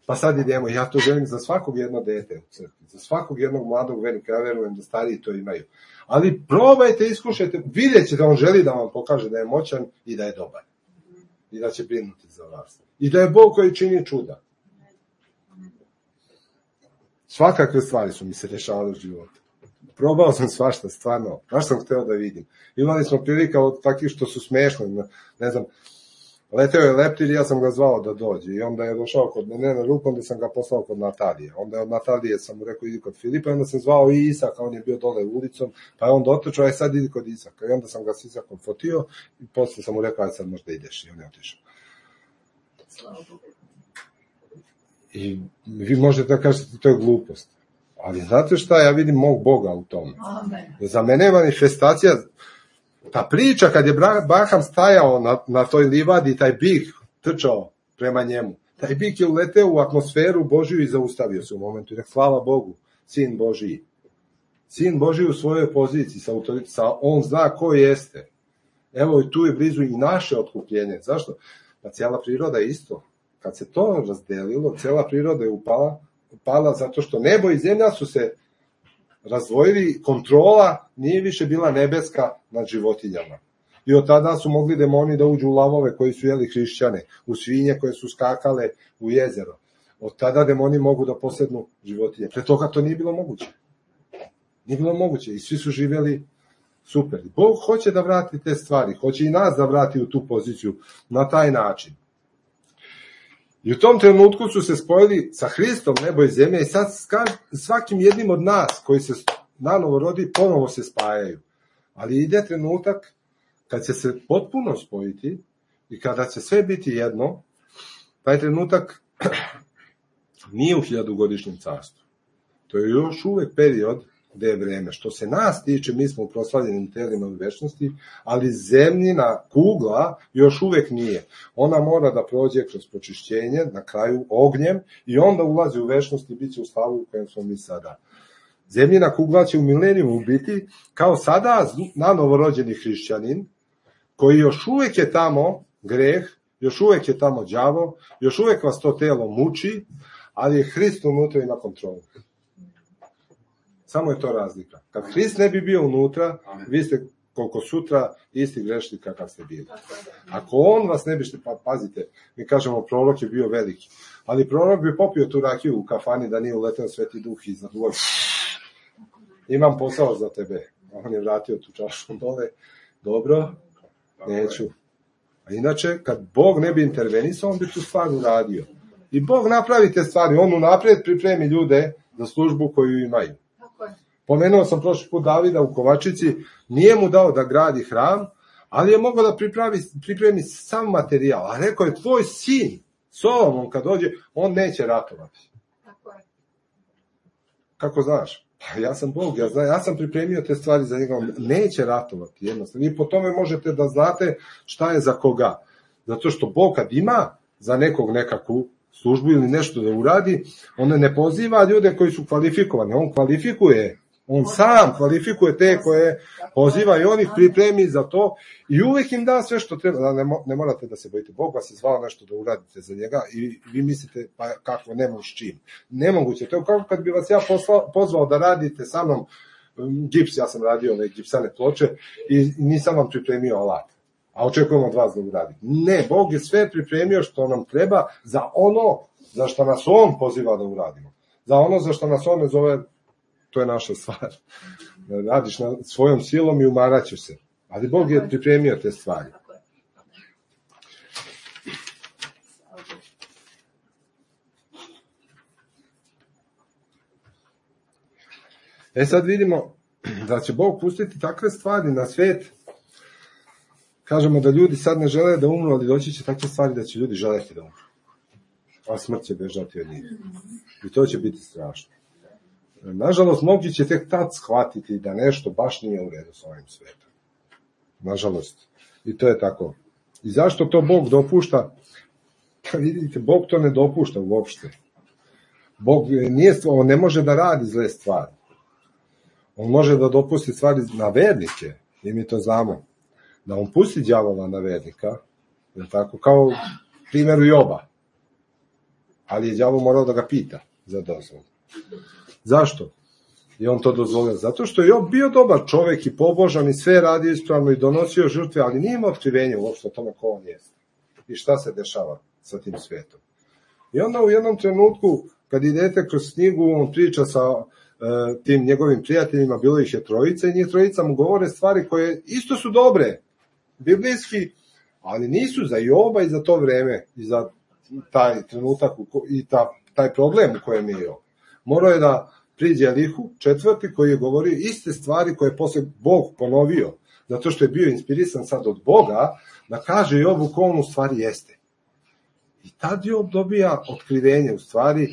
pa sad idemo, ja to želim za svakog jedno dete u crkvi, za svakog jednog mladog vernika, ja verujem da stariji to imaju. Ali probajte, iskušajte, vidjet ćete, on želi da vam pokaže da je moćan i da je dobar. I da će brinuti za vas. I da je Bog koji čini čuda. Svakakve stvari su mi se dešavale u životu. Probao sam svašta, stvarno. Baš sam hteo da vidim. Imali smo prilika od takvih što su smešni. Ne znam, leteo je leptir i ja sam ga zvao da dođe. I onda je došao kod mene na ruku, onda sam ga poslao kod Natalije. Onda je od Natalije sam mu rekao, idi kod Filipa. I onda sam zvao i Isaka, on je bio dole ulicom. Pa je on dotrčao, aj sad idi kod Isaka. I onda sam ga s Isakom fotio. I posle sam mu rekao, aj sad možda ideš. I on je otišao. I vi možete da kažete, to je glupost. Ali znate šta, ja vidim mog Boga u tome. Za mene je manifestacija, ta priča kad je Baham stajao na toj livadi, taj bik trčao prema njemu. Taj bik je uleteo u atmosferu Božiju i zaustavio se u momentu. I rekao, hvala Bogu, sin Božiji. Sin Božiji u svojoj poziciji, on zna ko jeste. Evo i tu je blizu i naše otkupljenje. Zašto? Pa cijela priroda je isto. Kad se to razdelilo, cijela priroda je upala zato što nebo i zemlja su se razdvojili, kontrola nije više bila nebeska nad životinjama. I od tada su mogli demoni da uđu u lavove koji su jeli hrišćane, u svinje koje su skakale u jezero. Od tada demoni mogu da posednu životinje. Pre toga to nije bilo moguće. Nije bilo moguće i svi su živjeli super. Bog hoće da vrati te stvari, hoće i nas da vrati u tu poziciju na taj način. I u tom trenutku su se spojili sa Hristom, nebo i zemlja, i sad svakim jednim od nas koji se nanovo rodi, ponovo se spajaju. Ali ide trenutak kad će se potpuno spojiti i kada će sve biti jedno, taj trenutak nije u 1000-godišnjem carstvu. To je još uvek period gde je vreme. Što se nas tiče, mi smo u proslavljenim telima u večnosti, ali zemljina kugla još uvek nije. Ona mora da prođe kroz počišćenje, na kraju ognjem, i onda ulazi u večnost i bit će u slavu u kojem smo mi sada. Zemljina kugla će u milenijumu biti kao sada nanovorođeni hrišćanin, koji još uvek je tamo greh, još uvek je tamo đavo, još uvek vas to telo muči, ali je Hrist unutra i na kontrolu. Samo je to razlika. Kad Hrist ne bi bio unutra, vi ste koliko sutra isti grešni kakav ste bili. Ako on vas ne bi što, pa pazite, mi kažemo prorok je bio veliki, ali prorok bi popio tu rakiju u kafani da nije uleteo Sveti Duh iza dvoj. Imam posao za tebe. On je vratio tu čašu dole. Dobro, neću. A inače, kad Bog ne bi intervenisao, on bi tu stvar uradio. I Bog napravi te stvari, on unaprijed pripremi ljude za službu koju imaju. Pomenuo sam prošli put Davida u Kovačici, nije mu dao da gradi hram, ali je mogao da pripremi sam materijal. A rekao je, tvoj sin, Solomon, kad dođe, on neće ratovati. Kako znaš? Pa ja sam Bog, ja sam pripremio te stvari za njega, on neće ratovati jednostavno. I po tome možete da znate šta je za koga. Zato što Bog kad ima za nekog nekakvu službu ili nešto da uradi, on ne poziva ljude koji su kvalifikovani, on kvalifikuje, on sam kvalifikuje te koje poziva i on ih pripremi za to i uvek im da sve što treba. Ne morate da se bojite, Bog vas je zvao nešto da uradite za njega i vi mislite, pa kako, nema s čim. Nemoguće, to je kako kad bi vas ja pozvao da radite sa mnom gips, ja sam radio ove gipsane ploče i nisam vam pripremio alat. A očekujemo od vas da uradi. Ne, Bog je sve pripremio što nam treba za ono za što nas on poziva da uradimo. Za ono za što nas on ne zove, to je naša stvar. Radiš svojom silom i umaraćeš se. Ali Bog je pripremio te stvari. Sad vidimo da će Bog pustiti takve stvari na svet. Kažemo da ljudi sad ne žele da umru, ali doći će takve stvari da će ljudi želeti da umru. A smrt će bežati od njih. I to će biti strašno. Nažalost, mnogi će tek tad shvatiti da nešto baš nije u redu s ovim svetom. Nažalost. I to je tako. I zašto to Bog dopušta? Vidite, Bog to ne dopušta uopšte. Bog on ne može da radi zle stvari. On može da dopusti stvari na vernike, i mi to znamo. Da on pusti đavola na vernika, je tako, kao primjeru Joba. Ali je đavo morao da ga pita za dozvolu. Zašto? I on to dozvolio. Zato što je Job bio dobar čovek i pobožan i sve radio ispravno i donosio žrtve, ali nije imao otkrivenje uopšte o tome ko on jeste. I šta se dešava sa tim svetom. I onda u jednom trenutku, kad idete kroz knjigu, on priča sa tim njegovim prijateljima, bilo ih je trojica i njih trojica mu govore stvari koje isto su dobre, biblijski, ali nisu za Joba i za to vreme i za taj trenutak i taj problem u kojem je Job. Morao je da priđe Elihu, četvrti, koji je govorio iste stvari koje je posle Bog ponovio, zato što je bio inspirisan sad od Boga, da kaže Jobu ko on u stvari jeste. I tad Job dobija otkrivenje, u stvari,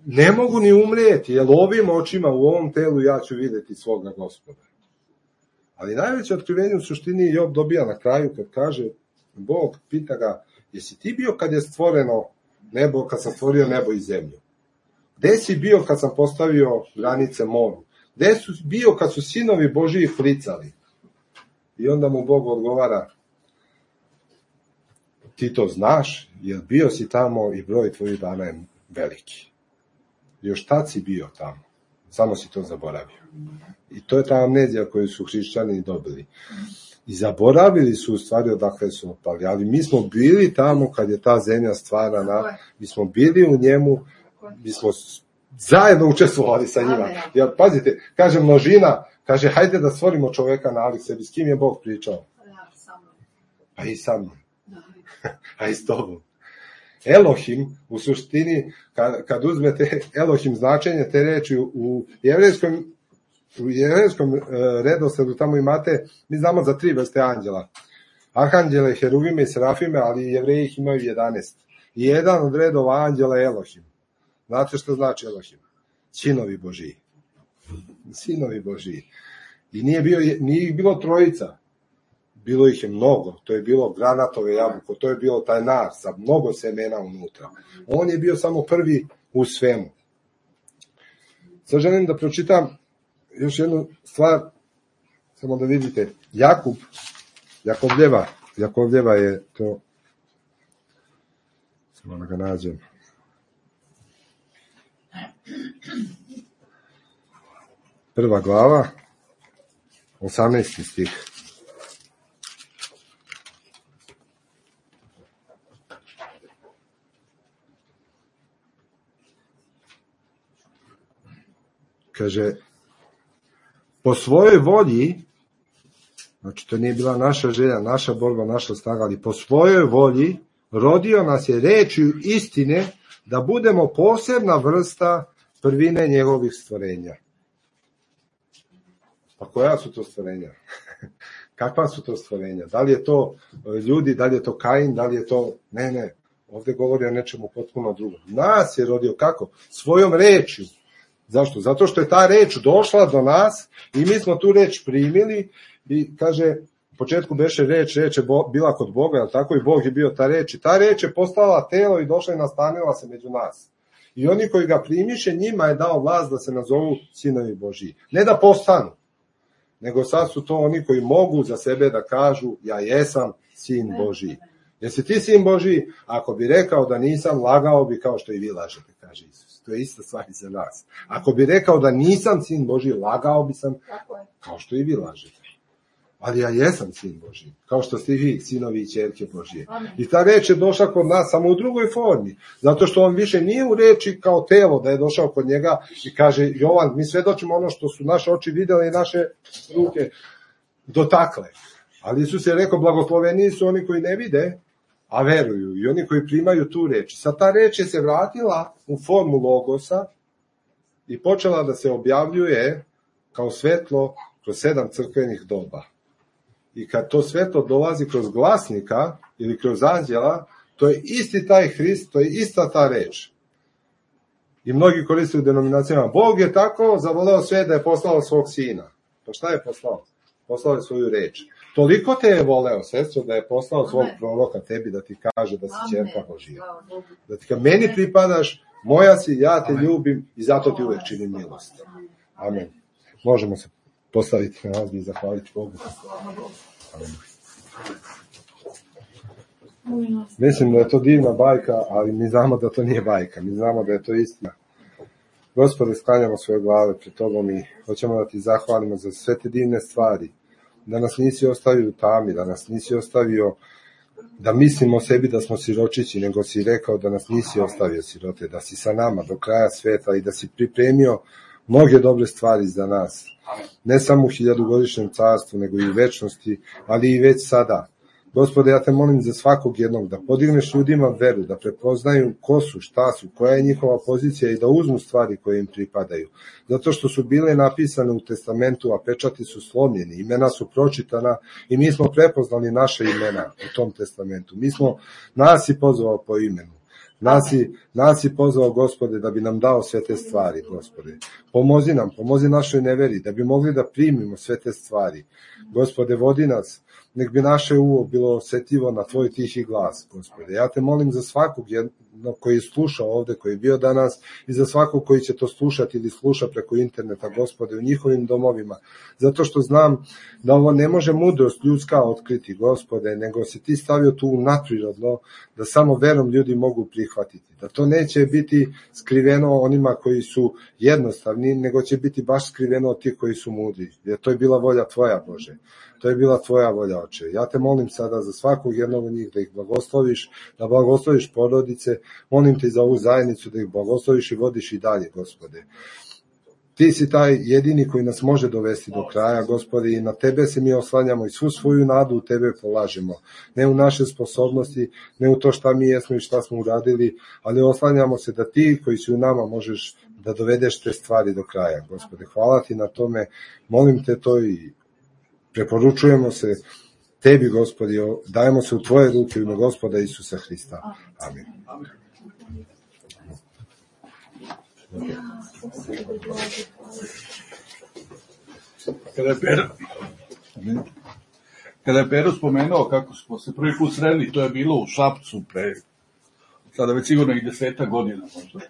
ne mogu ni umrijeti, jer ovim očima u ovom telu ja ću vidjeti svoga Gospoda. Ali najveće otkrivenje u suštini Job dobija na kraju, kad kaže, Bog pita ga, jesi ti bio kad je stvoreno nebo, kad sam stvorio nebo i zemlju? Gde si bio kad sam postavio granice moru? Gde si bio kad su sinovi Božiji flicali? I onda mu Bog odgovara, ti to znaš, jer bio si tamo i broj tvojih dana je veliki. Još tad si bio tamo, samo si to zaboravio. I to je ta amnezija koju su hrišćani dobili. I zaboravili su u stvari odakle su otpali, ali mi smo bili tamo kad je ta zemlja stvarana, mi smo bili u njemu, mi smo zajedno učestvovali sa njima. Jer, pazite, kaže množina, kaže, hajde da stvorimo čoveka nalik sebi, s kim je Bog pričao? Pa i sa mnom. A i s tobom. Elohim, u suštini, kad uzmete Elohim značenje te reči u jevrejskom redosledu, tamo imate, mi znamo za 3 vrste anđela. Arhanđele, heruvime i serafime, ali Jevreji ih imaju 11. I jedan od redova anđela je Elohim. Znate što znači Elohim? Sinovi Božiji. Sinovi Božiji. I nije ih bilo trojica. Bilo ih je mnogo. To je bilo granatove jabuko, to je bilo taj nar sa mnogo semena unutra. On je bio samo prvi u svemu. Sad želim da pročitam još jednu stvar, samo da vidite. Jakovljeva je to, samo da ga nađem. Prva glava, 18. stih. Kaže, po svojoj volji, znači to nije bila naša želja, naša borba, naša snaga, ali po svojoj volji rodio nas je rečju istine da budemo posebna vrsta prvine njegovih stvorenja. Pa koja su to stvorenja? Kakva su to stvorenja? Da li je to ljudi, da li je to Kain, da li je to... Ne, ovdje govori o nečemu potpuno drugom. Nas je rodio kako? Svojom rečju. Zašto? Zato što je ta reč došla do nas i mi smo tu reč primili i kaže, u početku beše reč je bila kod Boga, ali tako i Bog je bio ta reč. I ta reč je postala telo i došla i nastanila se među nas. I oni koji ga primiše, njima je dao vlast da se nazovu sinovi Božiji. Ne da postanu, nego sad su to oni koji mogu za sebe da kažu, ja jesam sin Božiji. Jesi ti sin Božiji? Ako bi rekao da nisam, lagao bi kao što i vi lažete, kaže Isus. To je ista stvar i za nas. Ako bi rekao da nisam sin Božiji, lagao bi sam kao što i vi lažete. Ali ja jesam sin Božiji, kao što ste i vi, sinovi i ćerke Božije. I ta reč je došla kod nas samo u drugoj formi, zato što on više nije u reči kao telo da je došao kod njega i kaže, Jovan, mi svedočimo ono što su naše oči vidjeli i naše ruke dotakle. Ali Isus je rekao, blagosloveni su oni koji ne vide, a veruju, i oni koji primaju tu reč. Sad ta reč je se vratila u formu logosa i počela da se objavljuje kao svetlo kroz 7 crkvenih doba. I kad to svetlo dolazi kroz glasnika ili kroz anđela, to je isti taj Hrist, to je ista ta reč. I mnogi koriste u denominacijama, Bog je tako zavoleo sve da je poslao svog sina. Pa šta je poslao? Poslao je svoju reč. Toliko te je voleo, sestro, da je poslao svog proroka tebi da ti kaže da si ćerka Božija. Da ti kaže, meni pripadaš, moja si, ja te ljubim i zato ti uvek činim milost. Amen. Možemo se postaviti na nas i zahvaliti Bogu. Amen. Mislim da je to divna bajka, ali mi znamo da to nije bajka, mi znamo da je to istina. Gospode, sklanjamo svoje glave pred Tobom i hoćemo da ti zahvalimo za sve te divne stvari, da nas nisi ostavio u tami, da nas nisi ostavio da mislimo o sebi da smo siročići, nego si rekao da nas nisi ostavio sirote, da si sa nama do kraja sveta i da si pripremio mnoge dobre stvari za nas. Ne samo u 1000-godišnjem carstvu, nego i u večnosti, ali i već sada. Gospode, ja te molim za svakog jednog da podigneš ljudima veru, da prepoznaju ko su, šta su, koja je njihova pozicija i da uzmu stvari koje im pripadaju. Zato što su bile napisane u testamentu, a pečati su slomljeni, imena su pročitana i mi smo prepoznali naše imena u tom testamentu. Nas si pozvao po imenu. Nas si pozvao, Gospode, da bi nam dao sve te stvari, Gospode. Pomozi našoj neveri, da bi mogli da primimo sve te stvari. Gospode, vodi nas, nek bi naše uvo bilo osjetljivo na tvoj tihi glas, Gospode. Ja te molim za svakog jednog koji je slušao ovde, koji je bio danas, i za svakog koji će to slušati ili sluša preko interneta, Gospode, u njihovim domovima. Zato što znam da ovo ne može mudrost ljudska otkriti, Gospode, nego si ti stavio tu nadprirodno, da samo verom ljudi mogu prihvatiti. Da to neće biti skriveno onima koji su jednostavni, nego će biti baš skriveno od tih koji su mudri. Jer to je bila volja tvoja, Bože. To je bila tvoja volja, Oče. Ja te molim sada za svakog jednog od njih da ih blagosloviš, da blagosloviš porodice, molim te za ovu zajednicu da ih blagosloviš i vodiš i dalje, Gospode. Ti si taj jedini koji nas može dovesti do kraja, Gospode, i na tebe se mi oslanjamo i svu svoju nadu u tebe polažemo. Ne u naše sposobnosti, ne u to šta mi jesmo i šta smo uradili, ali oslanjamo se da ti koji si u nama možeš da dovedeš te stvari do kraja, Gospode. Hvala ti na tome, molim te to i preporučujemo se tebi, Gospodi, dajemo se u tvoje ruke u ime Gospoda Isusa Hrista. Amin. Kada je Pero spomenuo kako smo se prvi put sreli, to je bilo u Šapcu pre, sada već sigurno i 10 godina, možda.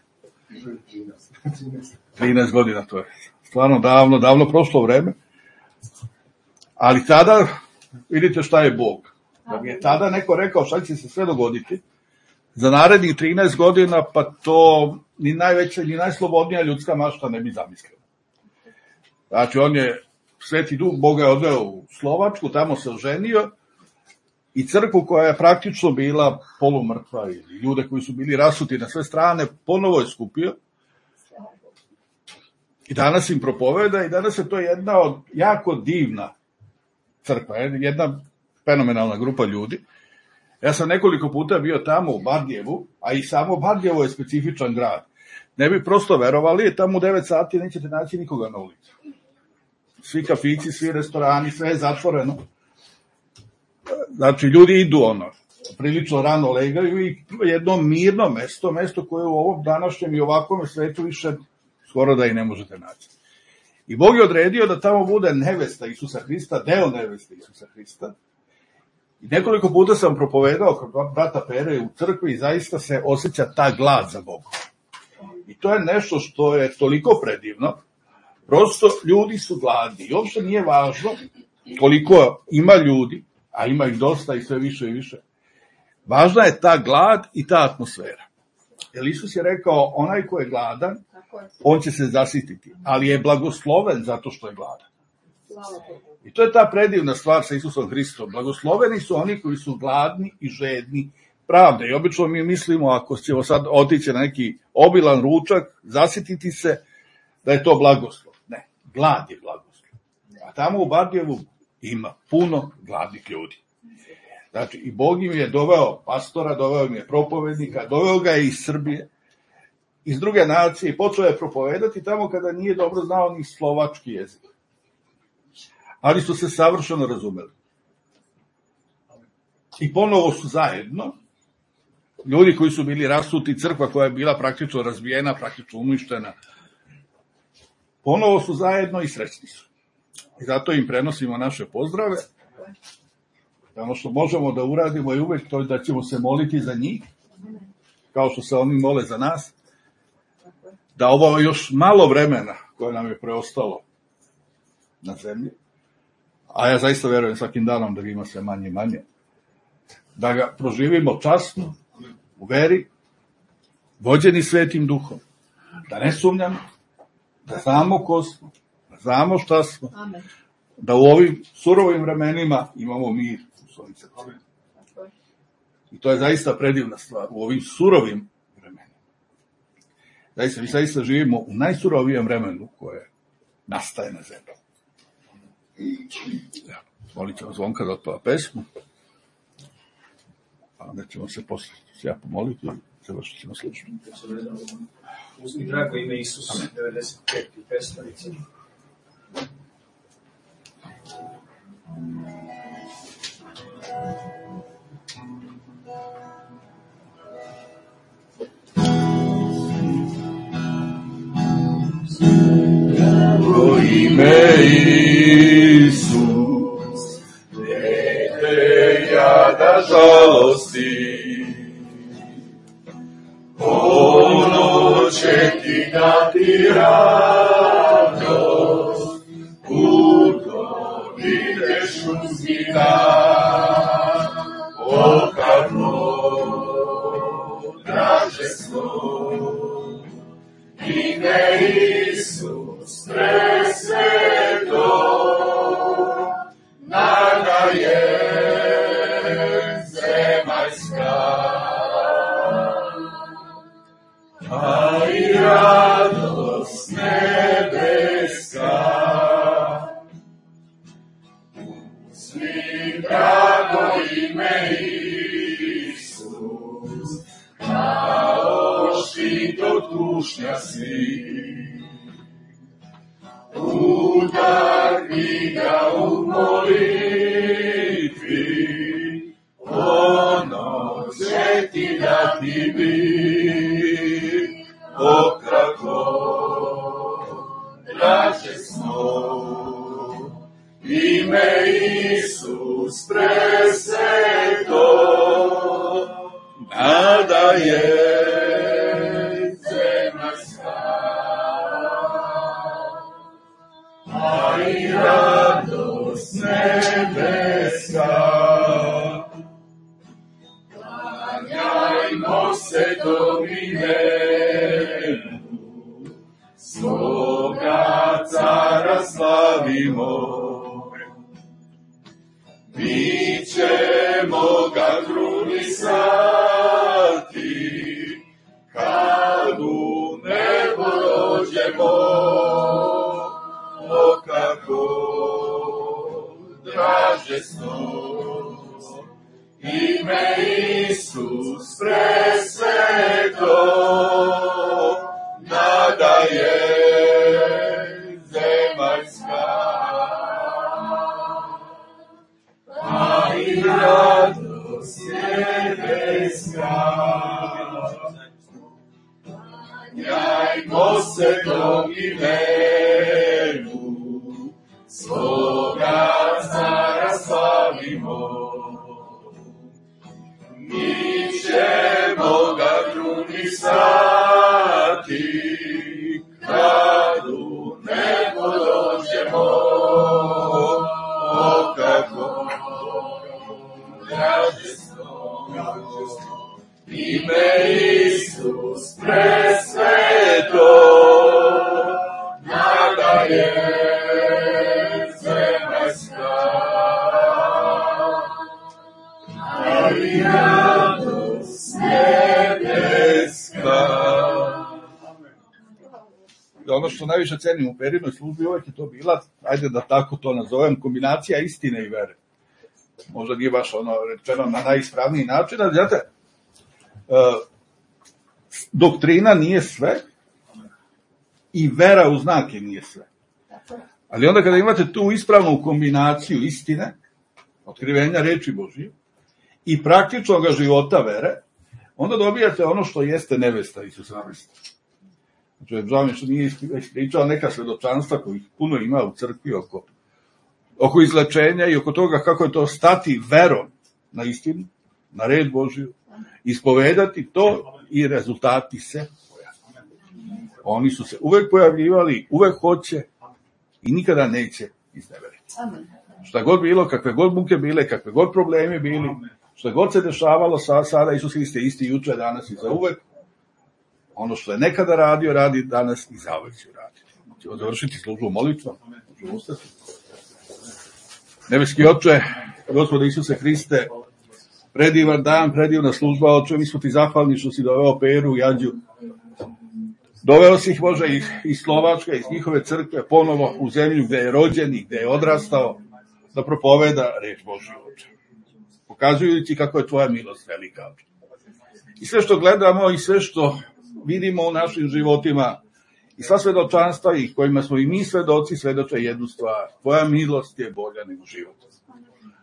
13 godina, to je stvarno davno prošlo vreme. Ali tada, vidite šta je Bog. Da mi je tada neko rekao šta će se sve dogoditi, za narednih 13 godina, pa to ni najveća, ni najslobodnija ljudska mašta ne bi zamislila. Znači, on je, Sveti Duh Boga je odveo u Slovačku, tamo se oženio i crkvu koja je praktično bila polumrtva ili ljude koji su bili rasuti na sve strane, ponovo je skupio. I danas im propoveda i danas je to jedna od jako divna crkva, jedna fenomenalna grupa ljudi. Ja sam nekoliko puta bio tamo u Bardjevu, a i samo Bardjevo je specifičan grad. Ne bi prosto verovali, tamo u 9 sati nećete naći nikoga na ulici. Svi kafići, svi restorani, sve je zatvoreno. Znači, ljudi idu prilično rano legaju i jedno mirno mesto koje u ovom današnjem i ovakvom svetu više skoro da i ne možete naći. I Bog je odredio da tamo bude nevesta Isusa Hrista, deo neveste Isusa Hrista. I nekoliko puta sam propovedao kod brata Pere u crkvi i zaista se osjeća ta glad za Bogom. I to je nešto što je toliko predivno. Prosto ljudi su gladni i uopšte nije važno koliko ima ljudi, a ima ih dosta i sve više i više. Važna je ta glad i ta atmosfera. Jer Isus je rekao, onaj ko je gladan, on će se zasititi, ali je blagosloven zato što je gladan. I to je ta predivna stvar sa Isusom Hristom. Blagosloveni su oni koji su gladni i žedni pravde. I obično mi mislimo, ako ćemo sad otići na neki obilan ručak, zasititi se, da je to blagoslov. Ne, glad je blagoslov. A tamo u Bardjevu ima puno gladnih ljudi. Znači, i Bog im je doveo pastora, doveo im je propovednika, doveo ga je iz Srbije. iz druge nacije i počeo je propovedati tamo kada nije dobro znao ni slovački jezik. Ali su se savršeno razumeli. I ponovo su zajedno, ljudi koji su bili rasuti, crkva koja je bila praktično razbijena, praktično uništena, ponovo su zajedno i srećni su. I zato im prenosimo naše pozdrave. Ono što možemo da uradimo je uvek to da ćemo se moliti za njih, kao što se oni mole za nas, da ovo još malo vremena koje nam je preostalo na zemlji, a ja zaista verujem svakim danom da ga ima sve manje i manje, da ga proživimo časno, u veri, vođeni Svetim Duhom, da ne sumnjamo, da znamo ko smo, da znamo šta smo, da u ovim surovim vremenima imamo mir u svojim srcima. I to je zaista predivna stvar, u ovim surovim vremenima. Mi zaista živimo u najsurovijem vremenu koje nastaje na zemlji. Molit ćemo Zvonka da otpeva pesmu, a onda ćemo se posle ja pomoliti i završit ćemo slučaju. Uzmi drago ime Isus, 95. pestorica. Drago ime Isus, ne te jada žalosti, ono će ti dati radost, puto ideš uzmina, o kako draže smo, ime Isus presveto, nada je zemaljska, a i radost nebeska. Uzmi drago ime Isus, kao štit od kušnja si, udarni ga u molitvi, ono će ti dati mir, o kako draže smo, ime Isus presveto, nada je zemaljska, a i radost nebeska. Klanjajmo se tom imenu, svoga cara slavimo, mi ćemo ga krunisati, kad u nebo dođemo, o kako draže smo, ime Isus presveto, nada je zemaljska, a i radost nebeska. Klanjajmo se tom imenu, svoga cara slavimo, mi ćemo ga krunisati, kad u nebo dođemo, o kako draže smo, ime Isus presveto, nada je zemaljska, a i radost nebeska. Ono što najviše cenim u Perinoj službi uvek je to bila, ajde da tako to nazovem, kombinacija istine i vere. Možda nije baš ono rečeno na najispravniji način, ali znate, doktrina nije sve i vera u znake nije sve. Ali onda kada imate tu ispravnu kombinaciju istine, otkrivenja reči Božije i praktičnog života vere, onda dobijate ono što jeste nevesta Isusa Hrista. Znači, žao mi što nije ispričao neka svedočanstva kojih puno ima u crkvi oko izlečenja i oko toga kako je to stati verom na istinu, na red Božiju, ispovedati to i rezultati se pojavljaju. Oni su se uvek pojavljivali, uvek hoće i nikada neće izneveriti. Šta god bilo, kakve god muke bile, kakve god problemi bili, šta god se dešavalo sada, Isus Hriste isti juče, danas i za uvek. Ono što je nekada radio, radi danas i zauvek će raditi. Ćemo završiti službu molitvom. Nebeski Oče, Gospode Isuse Hriste, predivan dan, predivna služba, Oče, mi smo ti zahvalni što si doveo Peru i Ađu. Doveo si ih, Bože, iz Slovačke, iz njihove crkve, ponovo u zemlju gde je rođen i gde je odrastao, da propoveda reč Božju, Oče. Pokazujući kako je tvoja milost velika, Oče. I sve što gledamo i sve što vidimo u našim životima i sva svedočanstva i kojima smo i mi svedoci, svedoče jednu stvar. Tvoja milost je bolja nego život.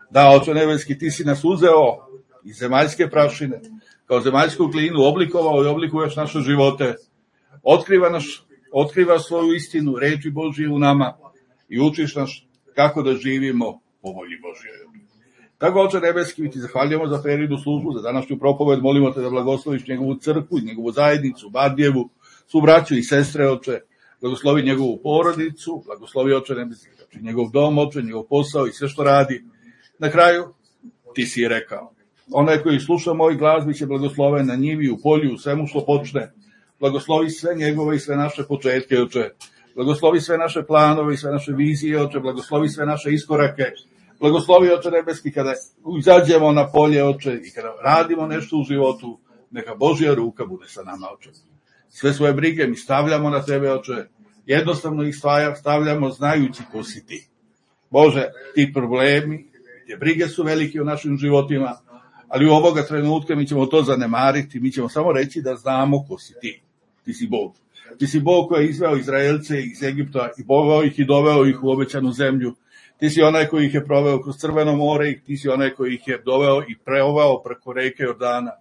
Da, Oče nebeski, ti si nas uzeo iz zemaljske prašine, kao zemaljsku glinu, oblikovao i oblikuješ naše živote. Otkriva svoju istinu, reči Božije u nama i učiš nas kako da živimo po volji Božje. Tako, Oče nebeski, mi ti zahvaljujemo za Perinu službu, za današnju propoved, molimo te da blagosloviš njegovu crkvu, njegovu zajednicu, Badjevu, svu braću i sestre, Oče, blagoslovi njegovu porodicu, blagoslovi, Oče nebeski, njegov dom, Oče, njegov posao i sve što radi. Na kraju, ti si je rekao, onaj koji sluša moj glas biće blagosloven na njivi, u polju, u svemu što počne. Blagoslovi sve njegove i sve naše početke, Oče. Blagoslovi sve naše planove i sve naše vizije, Oče. Blagoslovi sve naše iskorake. Blagoslovi, Oče nebeski, kada izađemo na polje, Oče, i kada radimo nešto u životu, neka Božja ruka bude sa nama, Oče. Sve svoje brige mi stavljamo na tebe, Oče. Jednostavno ih stavljamo znajući ko si ti. Bože, ti problemi, te brige su velike u našim životima, ali u ovoga trenutka mi ćemo to zanemariti, mi ćemo samo reći da znamo ko si ti. Ti si Bog. Ti si Bog koji je izveo Izraelce iz Egipta i poveo ih i doveo ih u obećanu zemlju. Ti si onaj koji ih je proveo kroz Crveno more i ti si onaj koji ih je doveo i preovao preko reke Jordana.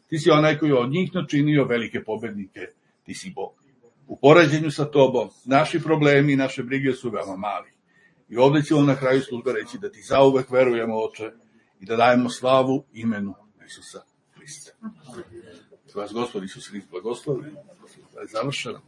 Ti si onaj koji je od njih načinio velike pobednike. Ti si Bog. U poređenju sa tobom, naši problemi i naše brige su veoma mali. I ovdje ćemo na kraju službe reći da ti zauvek verujemo, Oče, i da dajemo slavu imenu Isusa Hrista. Vas Gospod Isus Hrist blagoslovi. Da je završeno.